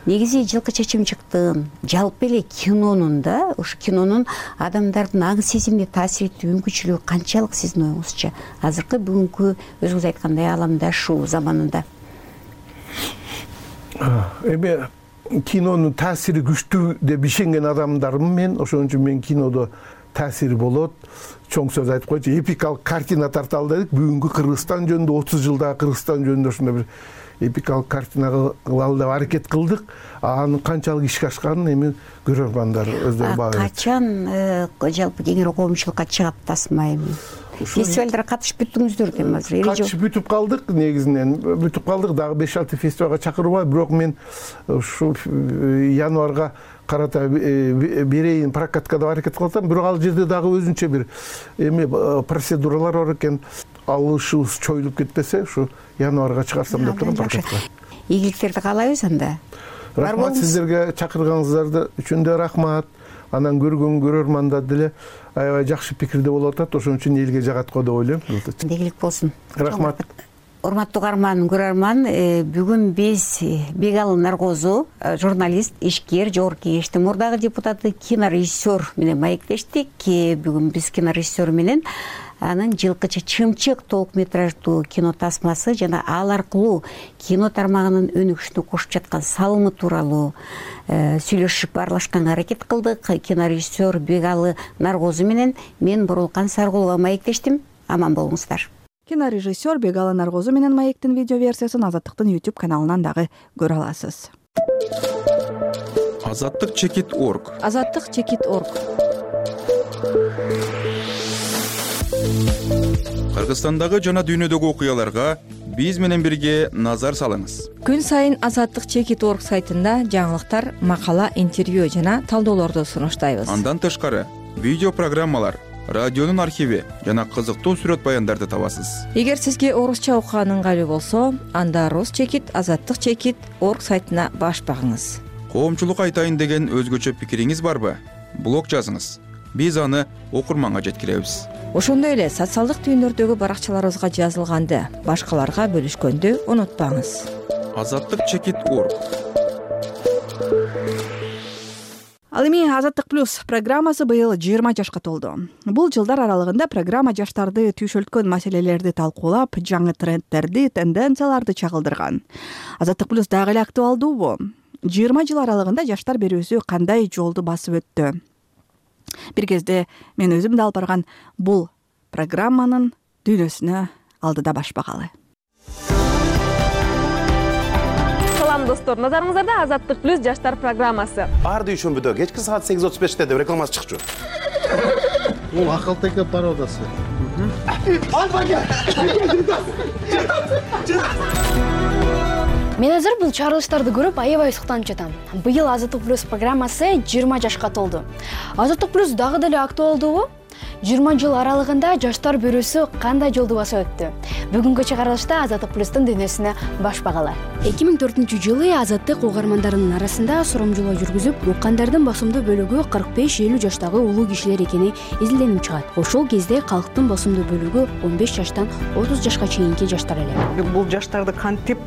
негизи жылкы чечимчиктин, жалпы эле кинонун да, ушу кинонун адамдардын аң сезимине таасир этүү мүмкүнчүлүгү канчалык сиздин оюңузча? Азыркы бүгүнкү өзүңүз айткандай аламдашуу заманында. эми кинонун таасири күчтүү деп ишенген адамдармын мен. Ошон үчүн мен кинодо таасири болот. Чоң сөз айтып койчу, эпикалык картина тарталы дедик. Бүгүнкү Кыргызстан жөнүндө 30 жылдагы Кыргызстан жөнүндө ошондой бир эпикалык картина кылалы деп аракет кылдык. Анын канчалык ишке ашканын эми көрөрмандар өздөрү баа берет. Качан жалпы кеңири коомчулукка чыгат тасма эми? Фестивалдарга катышып бүттүңүздөр дейм азыр. Катышып бүтүп калдык, негизинен бүтүп калдык. Дагы 5-6 фестивалга чакырбай, бирок мен ушу январга карата берейин прокатка деп аракет кылып атам. Бирок ал жерде дагы өзүнчө бир эми процедуралар бар экен. Алышыбыз чоюлуп кетпесе, ушу январга чыгарсам деп турам прокатка. Ийгиликтерди каалайбыз анда. Рахмат сиздерге, чакырганыңыздар үчүн да рахмат. Анан көргөн көрөрмандар деле аябай жакшы пикирде болуп атат. Ошон үчүн элге жагат го деп ойлойм. Ийгилик болсун. Рахмат. Урматтуу угарман, көрөрман, бүгүн биз Бегалы Наргозу, журналист, ишкер, жогорку кеңештин мурдагы депутаты, кинорежиссер менен маектештик. Бүгүн биз кинорежиссер менен анын жылкычы Чымчык толук метраждуу кино тасмасы жана ал аркылуу кино тармагынын өнүгүшүнө кошуп жаткан салымы тууралуу сүйлөшүп баарлашканга аракет кылдык. Кинорежиссер Бегалы Наргозу менен мен Боролкан Саргулова маектештим. Аман болуңуздар. Кинорежиссер Бегалы Наргозу менен маектин видео версиясын Азаттыктын YouTube каналынан дагы көрө аласыз. Азаттык.org. Азаттык.org. Кыргызстандагы жана дүйнөдөгү окуяларга биз менен бирге назар салыңыз. Күн сайын Азаттык.org сайтында жаңылыктар, макала, интервью жана талдоолорду сунуштайбыз. Андан тышкары видео программалар, радионун архиви жана кызыктуу сүрөт баяндарды табасыз. Эгер сизге орусча окуган ыңгайлуу болсо, анда Азаттык.org сайтына баш багыңыз. Коомчулукка айтайын деген өзгөчө пикириңиз барбы? Блог жазыңыз. Биз аны окурманга жеткиребиз. Ошондой эле социалдык түйүндөрдөгү баракчаларыбызга жазылганды башкаларга бөлүшкөндү унутпаңыз. Азаттык.org. Ал эми Азаттык плюс программасы быйыл 20 жашка толду. Бул жылдар аралыгында программа жаштарды түйшөлткөн маселелерди талкуулап, жаңы трендтерди, тенденцияларды чагылдырган. Азаттык плюс дагы эле актуалдуубу? 20 жыл аралыгында жаштар берүүсү кандай жолду басып өттү? Бир кезде мен өзүм да алып барган бул программанын дүйнөсүнө алдыда баш багалы. Салам достор, назарыңыздарда Азаттык плюс жаштар программасы. Ар дүйшөмбүдө кечки саат 8:35 деп рекламасы чыкчу. Бул акылтеке пародасы. Мен азыр бул чыгарылыштарды көрүп аябай суктанып жатам. Быйыл Азаттык плюс программасы 20 жашка толду. Азаттык плюс дагы деле актуалдуубу? 20 жыл аралыгында жаштар берүүсү кандай жолду басып өттү? Бүгүнкү чыгарылышта Азаттык плюстун дүйнөсүнө баш багалы. 2004-жылы Азаттык угармандарынын арасында сурамжылоо жүргүзүп, уккандардын басымдуу бөлүгү 45-50 жаштагы улуу кишилер экени изилденип чыгат. Ошол кезде калктын басымдуу бөлүгү 15 жаштан 30 жашка чейинки жаштар эле. Бул жаштарды кантип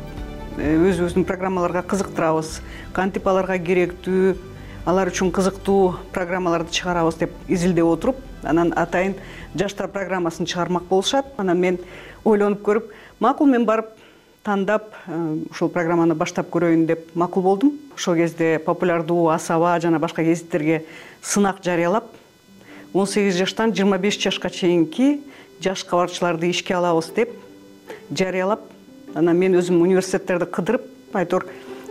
өзүбүздүн программаларга кызыктырабыз, кантип аларга керектүү, алар үчүн кызыктуу программаларды чыгарабыз деп изилдеп отуруп, анан атайын жаштар программасын чыгармак болушат. Анан мен ойлонуп көрүп, макул мен барып тандап ушул программаны баштап көрөйүн деп макул болдум. Ошол кезде популярдуу Асаба жана башка гезиттерге сынак жарыялап, 18 жаштан 25 жашка чейинки жаш кабарчыларды ишке алабыз деп жарыялап, анан мен өзүм университеттерди кыдырып, айтор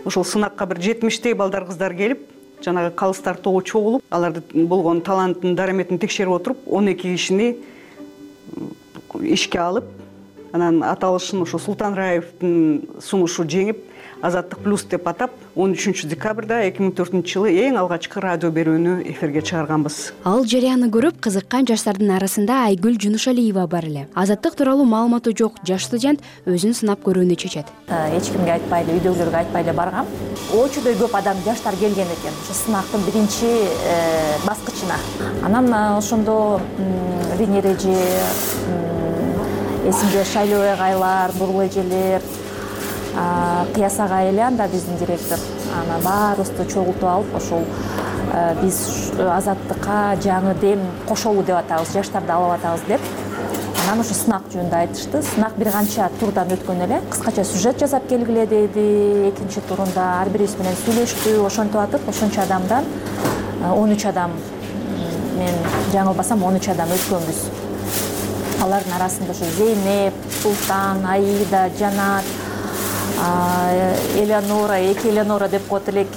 ошол сынакка бир 70-тей балдар кыздар келип, жанагы калыстар тобу чогулуп, аларды болгон талантын, дараметин текшерип отуруп, 12 кишини ишке алып, анан аталышын ошо Султан Раевдин сунушу жеңип, Азаттык плюс деп атап, 13 декабрда 2004-жылы эң алгачкы радио берүүнү эфирге чыгарганбыз. Ал жарыяны көрүп кызыккан жаштардын арасында Айгүл Жунушалиева бар эле. Азаттык тууралуу маалыматы жок жаш студент өзүн сынап көрүүнү чечет. Эч кимге айтпай эле, үйдөгүлөргө айтпай эле баргам. Очудой көп адам, жаштар келген экен ошо сынактын биринчи баскычына. Анан ошондо Венера эже, эсимде Шайлоо агайлар, Бурул эжелер, Кыяс агай эле анда биздин директор. Анан баарыбызды чогултуп алып, ошол биз Азаттыкка жаңы дем кошолу деп атабыз, жаштарды алып атабыз деп. анан ошо сынак жөнүндө айтышты. Сынак бир канча турдан өткөн эле. Кыскача сюжет жасап келгиле деди. Экинчи турунда ар бирибиз менен сүйлөштү. Ошентип атып, ошончо адамдан 13 адам, мен жаңылбасам 13 адам өткөнбүз. Алардын арасында ошо Зейнеп, Султан, Аида, Жанат, Элеонора, эки Элеонора деп коет элек,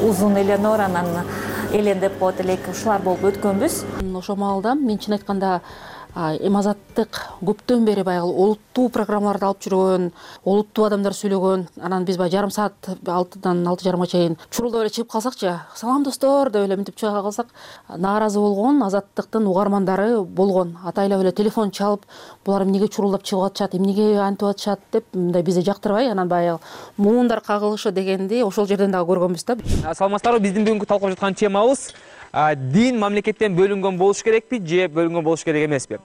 узун Элеонора, анан Элен деп коет элек, ушулар болуп өткөнбүз. Ошол маалда мен чын айтканда эми Азаттык көптөн бери баягы олуттуу программаларды алып жүргөн, олуттуу адамдар сүйлөгөн, анан биз баягы жарым саат 6-дан 6:30 чейин чурулдап эле чыгып калсакчы, салам достор деп эле мынтип чыга калсак, нааразы болгон Азаттыктын угармандары болгон. Атайлап эле телефон чалып, булар эмнеге чурулдап чыгып атышат, эмнеге антип атышат деп мындай бизди жактырбай, анан баягы муундар кагылышы дегенди ошол жерден дагы көргөнбүз да. Саламатсыздарбы, биздин бүгүнкү талкуулап жаткан темабыз дин мамлекеттен бөлүнгөн болуш керекпи же бөлүнгөн болуш керек эмеспи?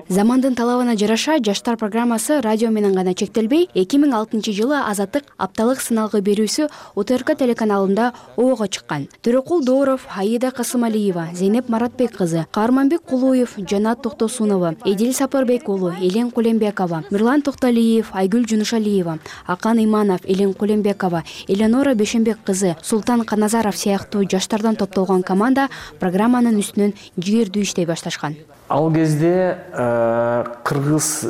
Замандын талабына жараша жаштар программасы радио менен гана чектелбей, 2006-жылы Азаттык апталык сыналгы берүүсү УТРК телеканалында оого чыккан. Төрөкул Дооров, Аида Касымалиева, Зейнеп Маратбек кызы, Каарманбек Кулуев, Жанат Токтосунова, Эдил Сапарбек уулу, Элен Кулембекова, Мирлан Токталиев, Айгүл Жунушалиева, Акан Иманов, Элен Кулембекова, Элеонора Бешенбек кызы, Султан Каназаров сыяктуу жаштардан топтолгон команда программанын үстүнөн жигердүү иштей башташкан. Ал кезде кыргыз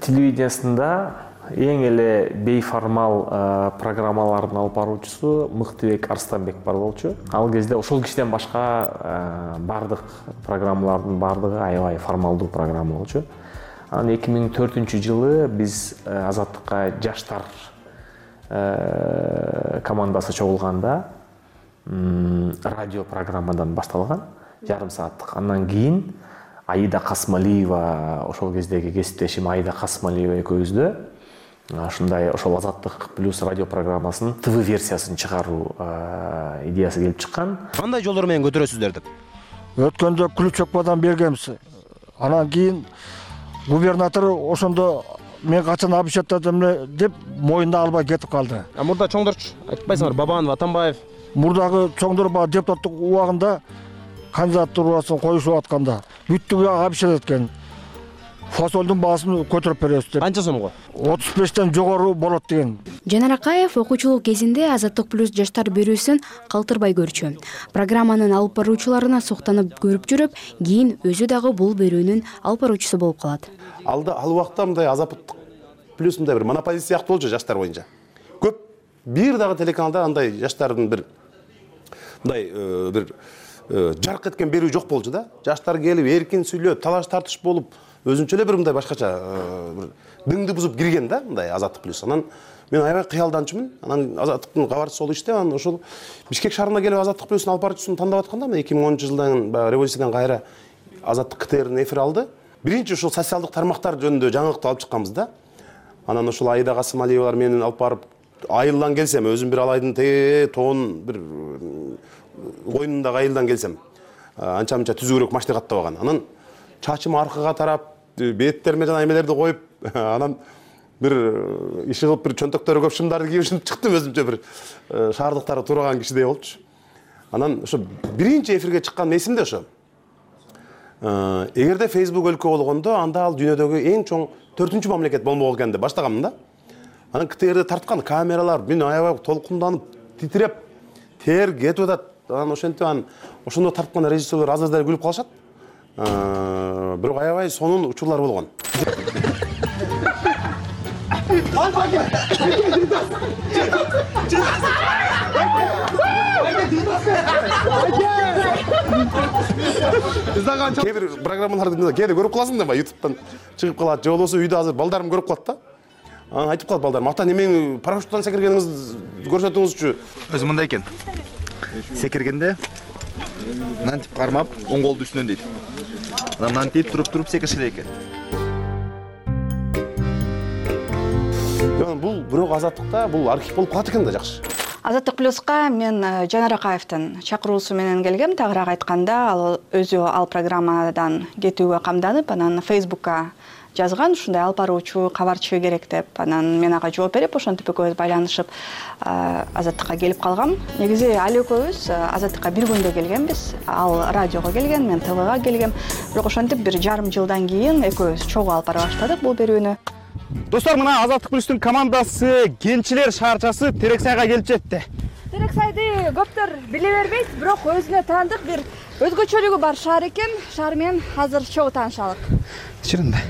телевидениясында эң эле бейформал программалардын алып баруучусу Мыктыбек Арстанбек бар болчу. Ал кезде ошол кишиден башка бардык программалардын бардыгы аябай формалдуу программа болчу. Анан 2004-жылы биз Азаттыкка жаштар командасы чогулганда радио программадан башталган, жарым сааттык. Андан кийин Аида Касымалиева, ошол кездеги кесиптешим Аида Касымалиева экөөбүздө ушундай ошол Азаттык плюс радио программасынын ТВ версиясын чыгаруу идеясы келип чыккан. Кандай жолдор менен көтөрөсүздөр деп? Өткөндө ключокпадан бергенбиз. Анан кийин губернатор ошондо мен качан обещаттадым деп моюнда албай кетип калды. Мурда чоңдорчу айтпайсыңар, Бабанов, Атамбаев. Мурдагы чоңдор баягы депутаттык убагында кандидатурасын коюшуп атканда бүттүгү обещать эткен. Фасолдун баасын көтөрүп беребиз деп. Канча сомго? 35тен жогору болот деген. Жанар Акаев окуучулук кезинде Азаттык плюс жаштар берүүсүн калтырбай көрчү. Программанын алып баруучуларына суктанып көрүп жүрүп, кийин өзү дагы бул берүүнүн алып баруучусу болуп калат. Ал убакта мындай Азаттык плюс мындай бир монополист сыяктуу болчу жаштар боюнча. Көп бир дагы телеканалда андай жаштардын бир мындай бир жарк эткен берүү жок болчу да. Жаштар келип эркин сүйлөп, талаш тартыш болуп, өзүнчө эле бир мындай башкача бир дыңды бузуп кирген да, мындай Азаттык плюс. Анан мен аябай кыялданчумун. Анан Азаттыктын кабарчысы болуп иштеп, анан ошол Бишкек шаарына келип Азаттык плюстун алып баруучусун тандап атканда, 2010-жылдан баягы революциядан кайра Азаттык КТРдин эфир алды. Биринчи ошол социалдык тармактар жөнүндө жаңылыкты алып чыкканбыз да. Анан ошол Аида Касымалиевалар менен алып барып айылдан келсем, өзүм бир алайдын тоон бир коюнундагы айылдан келсем, анча-мынча түзүүрөөк машина каттабаган. Анан чачым аркага тарап, беттериме жана эмелерди коюп, анан бир иши кылып бир чөнтөктөрү көп шымдарды кийип чыктым, өзүмчө бир шаардыктары турган кишидей болчу. Анан ошо биринчи эфирге чыккан эсимде ошо. Эгерде Facebook өлкө болгондо, анда ал дүйнөдөгү эң чоң 4-чү мамлекет болмок экен деп баштаганмын да. Анан КТРди тарткан камералар мен аябай толкунданып, титиреп, тер кетип атат. Анан ошентип ошондо тарткан режиссерлер азырда күлүп калышат. Бирок аябай сонун учурлар болгон. Кээ бир программаларды кээде көрүп каласың да, YouTube'дан чыгып калат, же болбосо үйдө азыр балдарым көрүп калат да. Анан айтып калат балдарым, ата немең парашюттан секиргениңизди көрсөтүңүзчү. Өзү мындай экен. Секиргенде мынтип кармап, оң колду үстүнөн дейт. Анан мынтип туруп секириш керек экен. Бул бирок Азаттыкта бул архив болуп калат экен да, жакшы. Азаттык плюска мен Жанар Акаевдин чакыруусу менен келгем. Тагыраак айтканда, ал өзү ал программадан кетүүгө камданып, анан Facebook'ка жазган, ушундай алып баруучу, кабарчы керек деп. Анан мен ага жооп берип, ошентип экөөбүз байланышып Азаттыкка келип калгам. Негизи ал экөөбүз Азаттыкка бир күндө келгенбиз. Ал радиого келген, мен ТВга келгем. Бирок ошентип бир жарым жылдан кийин экөөбүз чогуу алып бара баштадык бул берүүнү. Достор, мына Азаттык плюстун командасы кенчилер шаарчасы Терексайга келип жетти. Терексайды көптөр биле бербейт, бирок өзүнө таандык бир өзгөчөлүгү бар шаар экен. Шаар менен азыр чогуу таанышалык. Чынында.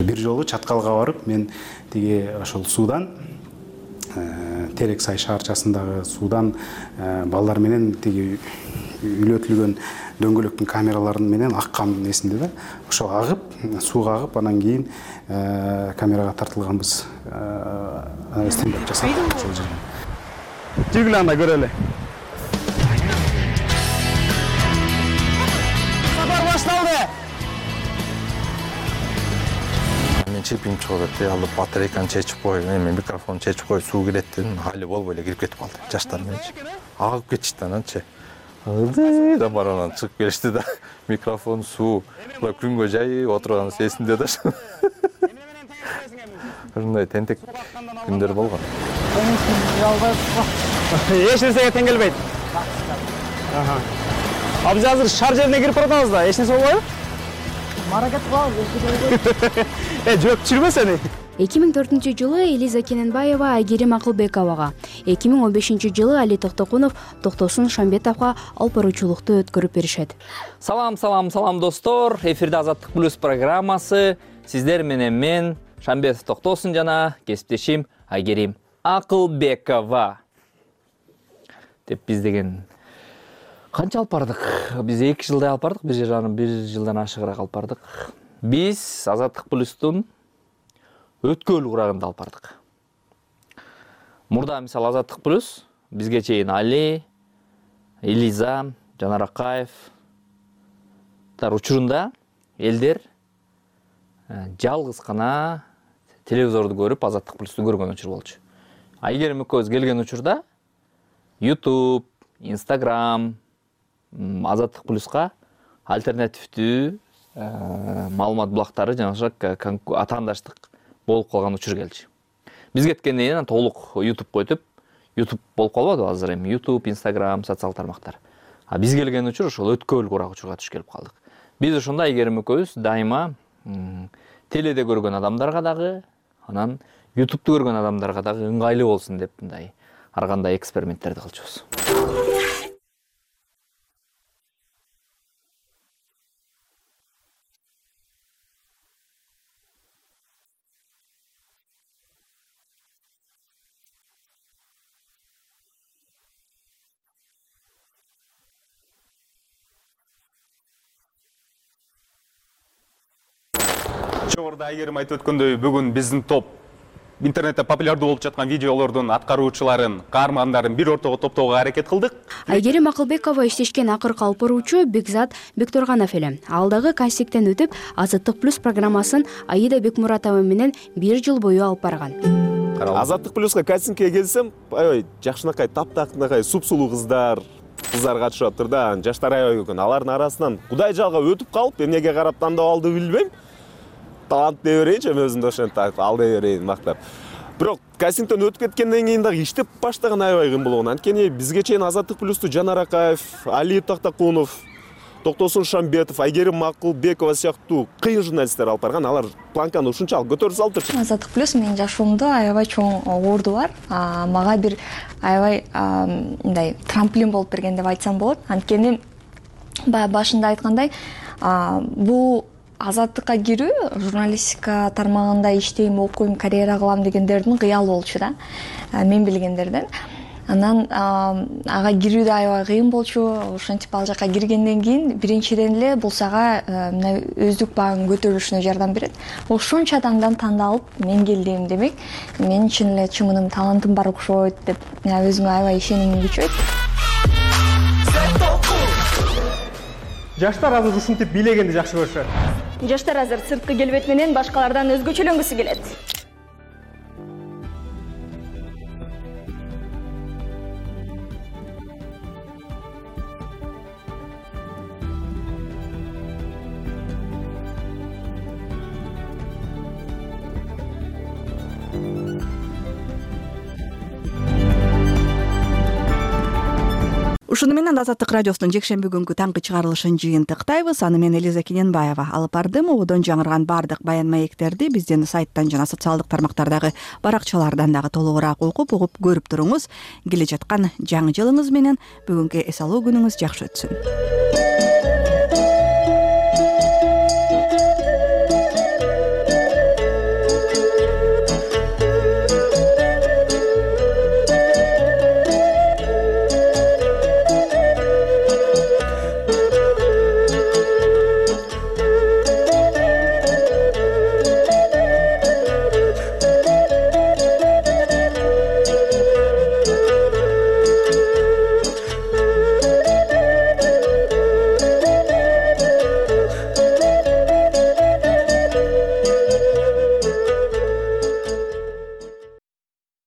Бир жолу Чаткалга барып, мен тиги ошол суудан Терексай шаарчасындагы суудан балдар менен тиги үйлөтүлгөн дөңгөлөктүн камераларын менен аккан эсимде да. Ошо агып, сууга агып, анан кийин камерага тартылганбыз. Стендап жасап ошол жерден. Жүргүлө анда көрөлү. Сапар башталды. Мен чипин чыгып кетти, алып батарейканы чечип коюп, эми микрофон чечип коюп, суу кирет дедим, хали болбой эле кирип кетип калды. Жаштар мененчи. Агып кетишти ананчы. Да баранан чыгып келишти да, микрофон, суу, күнгө жайып отурган эсимде да. Ушундай тентек күндөр болгон. Эч нерсеге тең келбейт. Биз азыр шаар жерине кирип баратабыз да, эч нерсе болбойбу? Маракет кылабыз. Жок, түшүрбө сени. 2004-жылы Элиза Кененбаева Айгерим Акылбековага, 2015-жылы Али Токтокунов Токтосун Шамбетовго алып баруучулукту өткөрүп беришет. Салам достор. Эфирде Азаттык плюс программасы. Сиздер менен мен Шамбетов Токтосун жана кесиптешим Айгерим Акылбекова. Деп биз деген канча алып бардык? Биз 2 жылдай алып бардык, бир жылдан ашыгыраак алып бардык. Биз Азаттык плюстун өткөл курагында алып бардык. Мурда мисалы Азаттык плюс бизге чейин Али, Элиза, Жанар Акаев учурунда элдер жалгыз гана телевизорду көрүп Азаттык плюсту көргөн учур болчу. Айгерим экөөбүз келген учурда YouTube, Instagram, Азаттык плюска альтернативдүү маалымат булактары жана ошо атаандаштык болуп калган учур келчү. Биз кеткенден кийин толук YouTube койтуп, YouTube болуп калбады азыр эми YouTube, Instagram, социал тармактар. Биз келген учур ошол өткөл курак учурга түшүп келип калдык. Биз ошондо Айгерим экөөбүз дайыма теледе көргөн адамдарга дагы, анан YouTube'ду көргөн адамдарга дагы ыңгайлуу болсун деп мындай ар кандай эксперименттерди кылчубуз. Жогоруда Айгерим айтып өткөндөй, бүгүн биздин топ интернетте популярдуу болуп жаткан видеолордун аткаруучуларын, каармандарын бир ортого топтоого аракет кылдык. Айгерим Акылбекова иштешкен акыркы алып баруучу Бекзат Бекторганов эле. Ал дагы кастингден өтүп, Азаттык плюс программасын Аида Бекмуратова менен 1 жыл бою алып барган. Азаттык плюска кастингге келсем, аябай жакшынакай, таптакынакай, супсулуу кыздар катышып атыр да. Жаштар аябай экен. Алардын арасынан Кудай жалга өтүп калып, эмнеге карап тандап алды билбейм. Талант дей берейинчи, өзүмдү ошентип айтып, ал дей берейин мактап. Бирок кастингден өтүп кеткенден кийин дагы иштеп баштаган аябай кыйын болгон. Анткени бизге чейин Азаттык плюсту Жанар Акаев, Али Токтокунов, Токтосун Шамбетов, Айгерим Акылбекова сыяктуу кыйын журналисттер алып барган. Алар планканы ушунчалык көтөрүп салыптыр. Азаттык плюс менин жашоомдо аябай чоң орду бар. Мага бир аябай мындай трамплин болуп берген деп айтсам болот. Анткени баягы башында айткандай, бул Азаттыкка кирүү, журналистика тармагында иштейм, окуйм, карьера кылам дегендердин кыялы болчу да. Мен билгендерден. Анан ага кирүү да аябай кыйын болчу. Ошентип ал жака киргенден кийин биринчиден эле бул сага мына өздүк багың көтөрүлүшүнө жардам берет. Ошончо адамдан тандалып мен келдим демек, мен чын эле чымыным, талантым бар окшойт деп өзүмө аябай ишенимим күчөйт. Жаштар азыр ушинтип бийлегенди жакшы көрүшөт. Жаштар азыр сырткы келбет менен башкалардан өзгөчөлөнгүсү келет. ушуну менен Азаттык радиосунун жекшемби күнгү таңкы чыгарылышын жыйынтыктайбыз. Аны мен Элиза Кененбаева алып бардым. Ободон жаңырган бардык баян маектерди биздин сайттан жана социалдык тармактардагы баракчалардан дагы толугураак угуп көрүп туруңуз. Келе жаткан жаңы жылыңыз менен бүгүнкү эс алуу күнүңүз жакшы өтсүн.